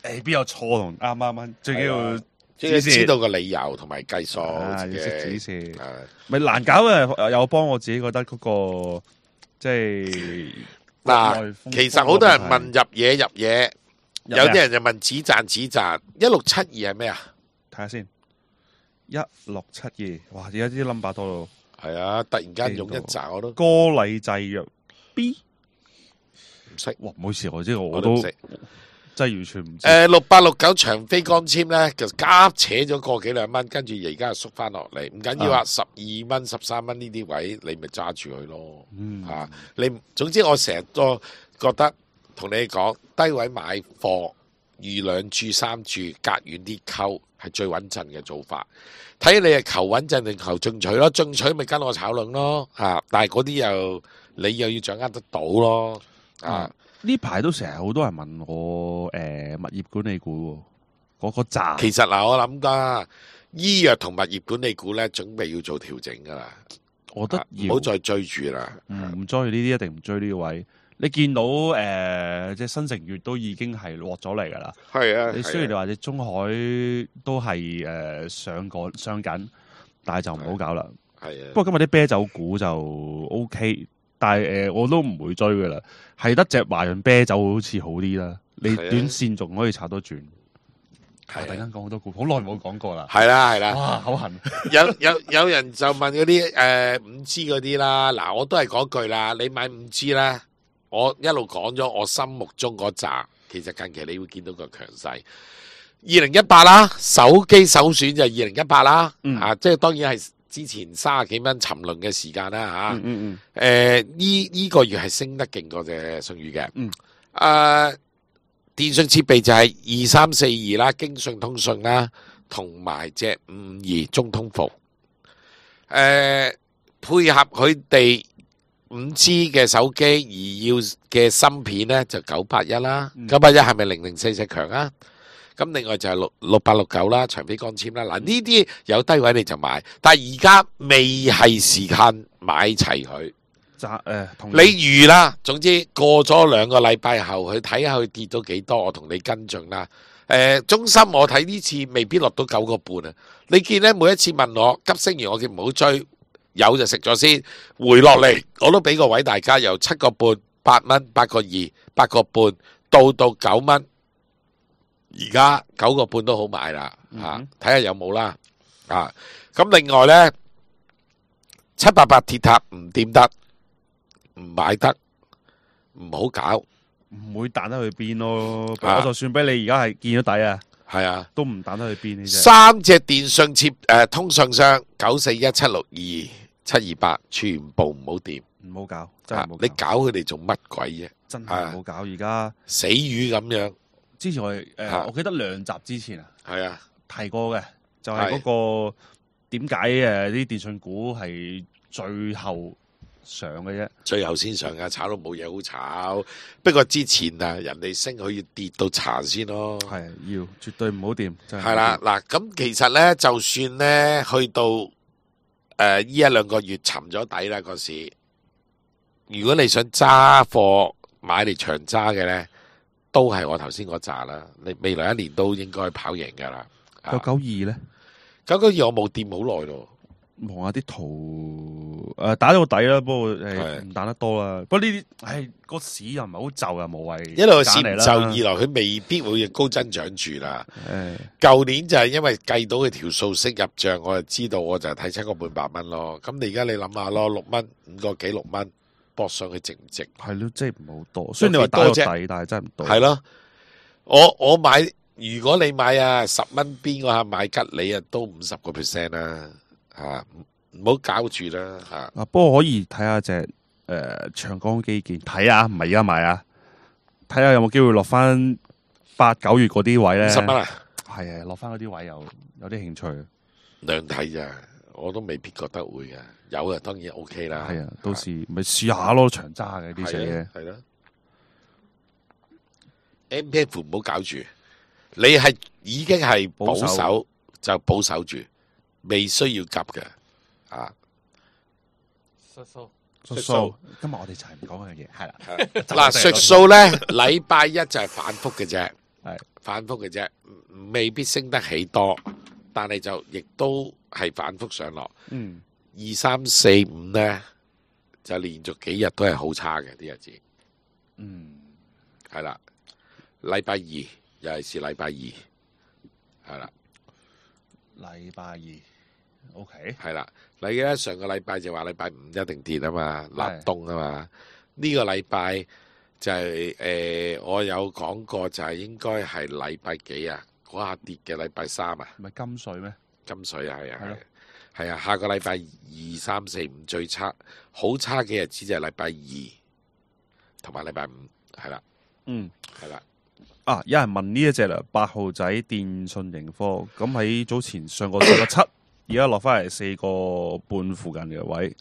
邊有錯同啱？最緊要知道個理由同埋計數，要識指示。咪難搞嘅，有幫我自己覺得嗰個即係嗱，其實好多人問入嘢，有啲人就問止賺。1672係咩啊？睇下先，1672，哇！而家啲 number 多到係啊，突然間用一扎我都歌禮製藥 B 唔識，哇，唔好意思，我都我都唔識。真係完全唔知。 6869長飛光纖咧，就夾扯咗個幾兩蚊，跟住而家又縮翻落嚟，唔緊要啊，12蚊、13蚊呢啲位，你咪揸住佢咯。你總之我成日都覺得同你講，低位買貨，預2注3注，隔遠啲溝係最穩陣嘅做法。睇你係求穩陣定求進取咯，進取咪跟我炒輪咯，但係嗰啲又你又要掌握得到咯，呢排都成日好多人問我物業管理股喎，嗰個站其實嗱，我諗噶醫藥同物業管理股咧，準備要做調整噶啦，我覺得唔好再追住啦。唔追呢啲，一定唔追呢個位。你見到即係新城月都已經係落咗嚟㗎啦。係啊，你雖然你話你中海都係上緊，但係就唔好搞啦。係啊，不過今日啲啤酒股就 OK。但係我都唔會追噶啦，係得隻華潤啤酒好似好啲啦。你短線仲可以炒多轉。突然間講好多股，好耐冇講過啦。係啦係啦，哇，好痕。有人就問嗰啲5G 嗰啲啦，嗱我都係嗰句啦，你買5G咧，我一路講咗我心目中嗰扎，其實近期你會見到個強勢。2018啦，手機首選就係2018啦，即係當然係。之前30幾蚊沉淪嘅時間啦呢個月係升得勁過隻舜宇嘅。電信設備就係2342啦，京信通訊啦，同埋隻552中通服。配合佢哋5G 嘅手機而要嘅芯片咧，就981啦。981係咪0044強啊？咁另外就係6869啦，長飛光纖啦，嗱呢啲有低位你就買，但係而家未係時間買齊佢。你預啦，總之過咗2個禮拜後，去睇下佢跌到幾多，我同你跟進啦。中芯我睇呢次未必落到9個半啊。你見咧每一次問我急升完，我叫唔好追，有就食咗先，回落嚟我都俾個位大家，由7個半、8蚊、8個2、8個半到9蚊。而家9個半都好買啦，睇下有冇啦，咁另外咧788鐵塔唔掂得，唔買得，唔好搞，唔會彈得去邊咯。我就算俾你而家係見咗底啊，係啊，都唔彈得去邊呢隻。3隻電信通訊商941、762、728，全部唔好掂，唔好搞，真係唔好搞。你搞佢哋做乜鬼啫？真係唔好搞，而家死魚咁樣。之前我記得2集之前係啊提過嘅，就係嗰個點解啲電信股係最後上嘅啫，最後先上噶，炒到冇嘢好炒。不過之前人哋升，佢要跌到殘先咯。係要絕對唔好掂。係啦，嗱咁其實咧，就算咧去到呢1-2個月沉咗底啦個市，如果你想揸貨買嚟長揸嘅咧，都係我頭先嗰扎啦，你未來1年都應該跑贏噶啦。992咧，992我冇掂好耐咯。望下啲圖，打咗個底啦，不過唔打得多啦。不過呢啲，個市又唔係好就，又無謂。一來市唔就，二來佢未必會高增長住啦。舊年就係因為計到佢條數息入帳，我就知道，我就睇7個半8蚊咯。咁你而家你諗下咯，6蚊5個幾6蚊，搏上去值唔值？係咯，即係唔好多。雖然你話打咗底，但係真係唔多。係咯，我買，如果你買10蚊邊嗰下買吉利都50%啦。唔好搞住啦。不過可以睇下隻長江基建，睇下唔係而家買啊，睇下有冇機會落翻8、9月嗰啲位咧。50蚊啊，係落翻嗰啲位有啲興趣。兩睇咋，我都未必覺得會嘅。有啊，當然 OK 啦。係啊，到時咪試下咯，長揸嘅啲嘢。係啦，MPF 唔好搞住，你係已經係保守就保守住。未需要急嘅，術數。今日我哋就係唔講嗰樣嘢，係啦。嗱，術數咧，禮拜一就係反覆嘅啫，反覆嘅啫，未必升得起多，但係就亦都係反覆上落。2、3、4、5咧，就連續幾日都係好差嘅啲日子。係啦，禮拜2尤其是禮拜2，係啦。禮拜2， OK，係啦。你記得上個禮拜就話禮拜五一定跌啊嘛，係立冬啊嘛。呢個禮拜就係我有講過，就係應該係禮拜幾啊？嗰下跌嘅禮拜三啊，唔係金水咩？金水啊，係啊，係咯係啊。下個禮拜2、3、4、5最差，好差嘅日子就係禮拜二同埋禮拜五，係啦，嗯。係啦。啊！有人問呢一隻啦，8號仔電訊盈科，咁喺早前上過4.7，而家落翻嚟4.5附近嘅位，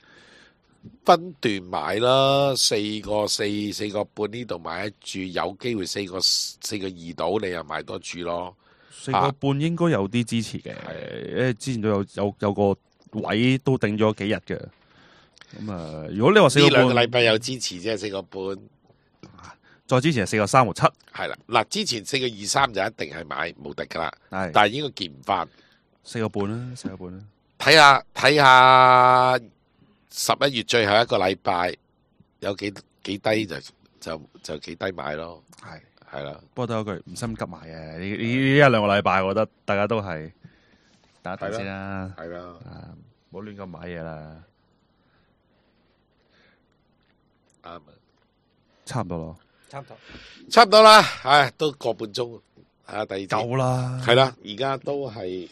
分段買啦，4.4、4.5呢度買一注，有機會4.2到，你又買多注咯。 4.5應該有啲支持嘅，因為之前都有個位都定咗幾日嘅。咁啊，如果你話呢兩個禮4.5，拜有支持啫，4.5再之前係4.3和7，係啦。嗱，之前4.23就一定係買無敵噶啦，係但係應該見唔翻。 4.5啦，4.5啦。睇下11月最後一個禮拜有幾低就幾低買咯，係啦。不過都有句唔心急買嘅，呢一兩個禮拜，我覺得大家都係等一等先啦，係啦。啊，唔好亂咁買嘢啦，啱啊，差唔多咯，差唔多啦，唉，都個半鐘啊，第二節夠啦，係啦，而家都係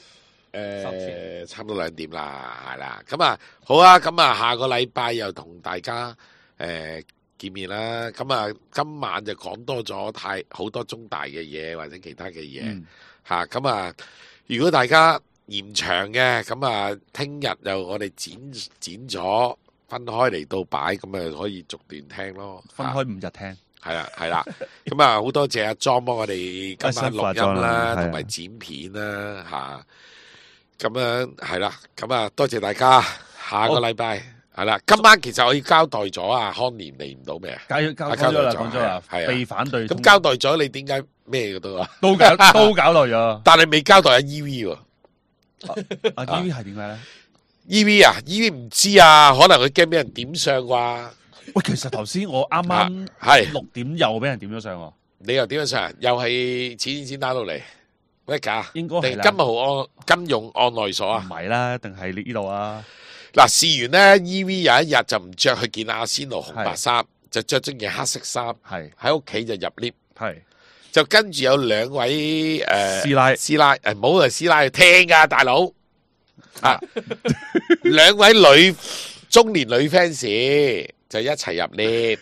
差唔多2點啦，係啦。咁啊，好啊，咁啊，下個禮拜又同大家見面啦。咁啊，今晚就講多咗好多中大嘅嘢或者其他嘅嘢嚇。咁啊，如果大家延長嘅，咁啊，聽日就我哋剪咗分開嚟到擺，咁啊可以逐段聽咯。分開5日聽。係啦，係啦，咁啊好多謝阿莊幫我哋今晚錄音啦，同埋係剪片啦，吓，咁樣係啦，咁啊多謝大家，下個禮拜係啦，今晚其實我要交代咗啊，康年嚟唔到咩啊？交咗啦，講咗啦，係啊被反對通，咁交代咗你點解咩嘅都啊？都搞耐咗。但係未交代阿 EV 喎阿 EV 係點解咧？ ，EV 啊，EV 唔知啊，可能佢驚俾人點相啩？喂，其實頭先我啱啱係6點又俾人點咗上喎，你又點樣上？又係錢打到嚟，咩假？應該係啦定金融案內所啊唔？係啦，定係呢度啊？嗱，試完咧，EV 有一日就唔着去見阿仙奴紅白衫，就着咗件黑色衫，係喺屋企就入 lift，係就跟住有兩位師奶師奶唔好係師奶聽噶大佬啊，兩位中年女 fans 就一齊入 lift，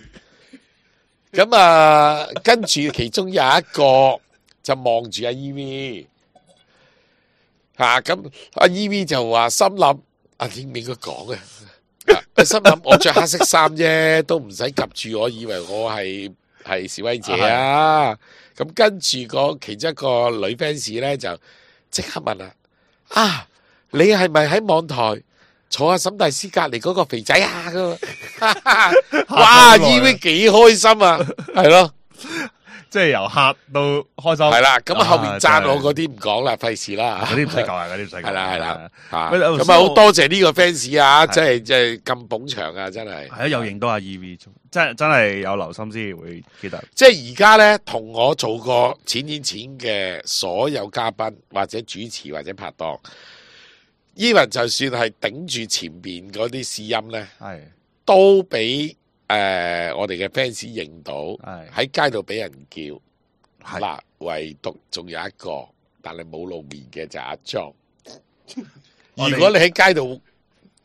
咁啊，跟住其中有一個就望住阿 EV，咁阿 EV 就話心諗。應唔應該講啊？心諗我着黑色衫啫，都唔使及住我，以為我係示威者啊！咁跟住其中一個女 fans 咧就即刻問啦：啊，你係咪喺網台坐下沈大師隔離嗰個肥仔啊？咁哇！EV 幾開心啊，係咯。即係由客到開心，係啦，咁後面讚我嗰啲唔講啦，費事啦，嗰啲唔使講啊，嗰啲唔使講。係啦，喂咁啊好多謝呢個 fans 啊，即係咁捧場啊，真係。係啊，又認到阿 EV，真係有留心先會記得。即係而家咧，同我做過錢嘅所有嘉賓或者主持或者拍檔，even 就算係頂住前邊嗰啲試音咧，係都俾。我哋嘅 fans 認到喺街度俾人叫，嗱，唯獨仲有一個，但係冇露面嘅就係阿莊。如果你喺街度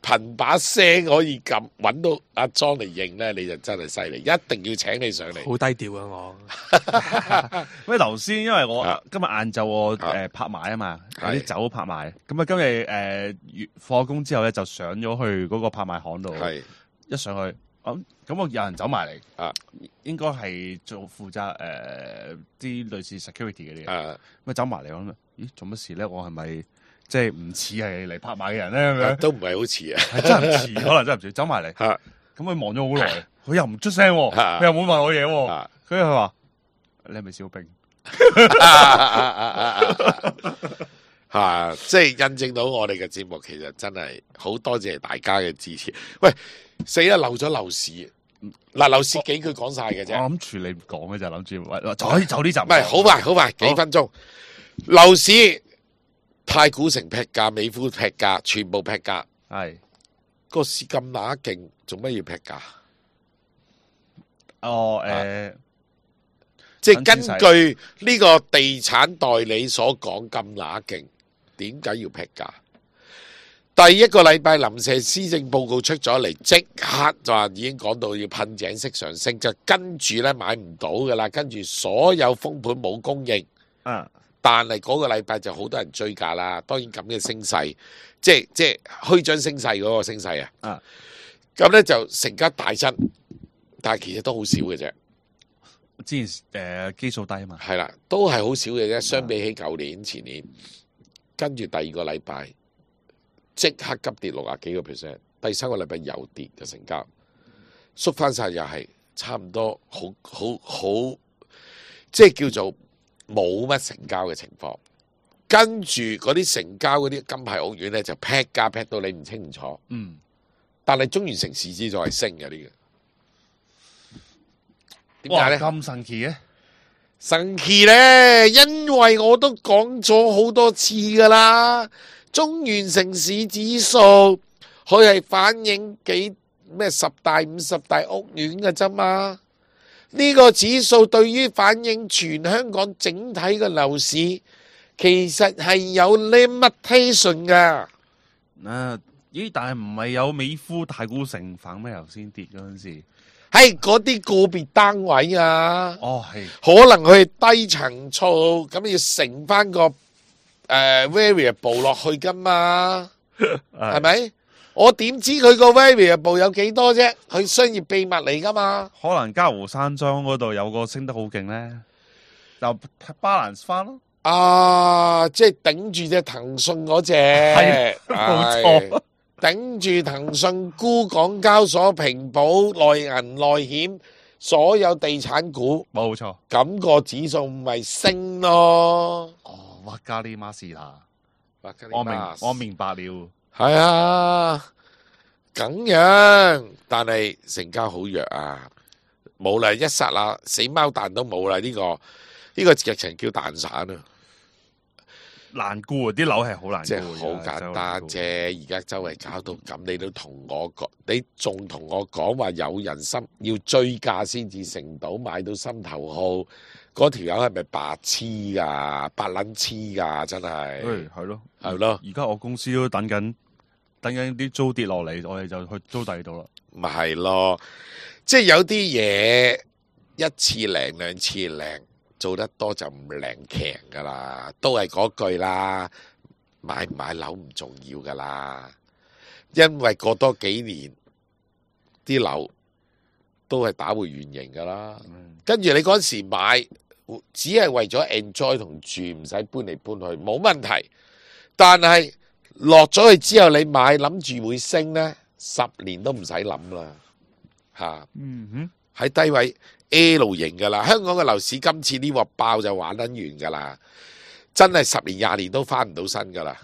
憑把聲可以咁揾到阿莊嚟認咧，你就真係犀利，一定要請你上嚟。好低調啊我。喂，頭先因為我今日晏晝我拍賣啊嘛，有啲酒拍賣，咁啊今日放工之後咧就上咗去嗰個拍賣行度，一上去。咁我有人走埋嚟，應該係負責啲類似 security 嗰啲嘅，咁走埋嚟我諗，咦做乜事咧？我係咪即係唔似係嚟拍賣嘅人咧？咁樣都唔係好似啊，係真係唔似，可能真係唔似。走埋嚟，咁佢望咗好耐，佢又唔出聲，佢又冇問我嘢，跟住佢話：你係咪小兵？即係印證到我哋嘅節目，其實真係好多謝大家嘅支持。喂，死啦，漏咗樓市。嗱，樓市幾句講晒嘅啫。我諗住你唔講嘅就諗住，就呢集。唔係，好快，幾分鐘。樓市太古城劈價，美孚劈價，全部劈價。係個市咁乸勁，做乜要劈價？哦即係根據呢個地產代理所講咁乸勁，點解要劈價？第一個禮拜臨時施政報告出咗嚟，即刻就話已經講到要噴井式上升，就跟住咧買唔到噶啦，跟住所有封盤冇供應。但係嗰個禮拜就好多人追價啦。當然咁嘅升勢，即係虛張升勢嗰個升勢啊。咁咧就成交大增，但係其實都好少嘅啫。之前基數低啊嘛，係啦，都係好少嘅啫。相比起舊年、前年，跟住第二個禮拜即刻急跌60幾個 %，第三個禮拜又跌嘅成交，縮翻晒又係差唔多，好，即係叫做冇乜成交嘅情況。跟住嗰啲成交嗰啲金牌屋苑咧就劈價劈到你唔清楚。但係中原城市指數係升嘅呢個。點解咧？咁神奇嘅？神奇咧，因為我都講咗好多次噶啦，中原城市指數佢係反映咩10大50大屋苑嘅啫嘛。呢個指數對於反映全香港整體嘅樓市，其實係有 limitation 噶。咦？但係唔係有美孚太古城反咩頭先跌嗰陣時？係嗰啲個別單位啊，係可能佢係低層數，咁要乘翻個variable 落去噶嘛，係咪？我點知佢個 variable 有幾多啫？佢商業秘密嚟噶嘛？可能嘉湖山莊嗰度有個升得好勁咧，就 balance 翻咯。即係頂住隻騰訊嗰隻，冇錯。頂住騰訊沽港交所、平保、內銀、內險所有地產股，冇錯。咁個指數咪升咯。哇加呢馬士啦，我明白了。係啊，咁樣，但係成交好弱啊，冇啦，一剎那死貓彈都冇啦。呢個劇情叫蛋散啊。難估啊！啲樓係好難估，即係好簡單啫。而家周圍搞到咁，你都同我講，你仲同我講話有人心要追價先至成到買到心頭好，嗰條友係咪白痴噶？白撚痴噶，真係。係咯，係咯。而家我公司都等緊啲租跌落嚟，我哋就去租第二度啦。咪係咯，即係有啲嘢一次靈兩次靈。做得多就唔靈強噶啦，都係嗰句啦，買唔買樓唔重要噶啦，因為過多幾年啲樓都係打回原形噶啦。跟住你嗰時買，只係為咗 enjoy 同住，唔使搬嚟搬去，冇問題。但係落咗去之後，你買諗住會升呢，10年都唔使諗啦，吓。喺低位 L 型噶啦，香港嘅樓市今次呢鑊爆就玩得完噶啦，真係10年20年都翻唔到身噶啦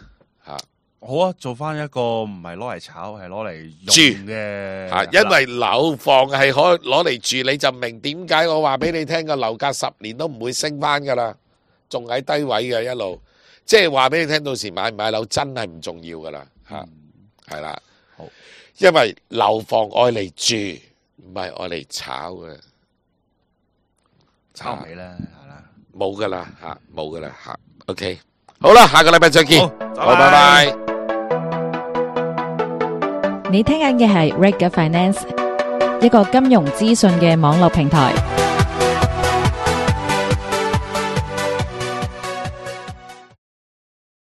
吓。好啊，做翻一個唔係攞嚟炒，係攞嚟用嘅吓，因為樓房係可攞嚟住，你就明點解我話俾你聽個樓價10年都唔會升翻噶啦，仲喺低位嘅一路，即係話俾你聽，到時買唔買樓真係唔重要噶啦吓，係啦，好，因為樓房愛嚟住。唔係愛嚟炒嘅，炒唔起啦，係啦，冇噶啦吓，冇噶啦吓。OK， 好啦，下個禮拜再見，好，拜拜。你聽緊嘅係 Reg Finance，一個金融資訊嘅網絡平台。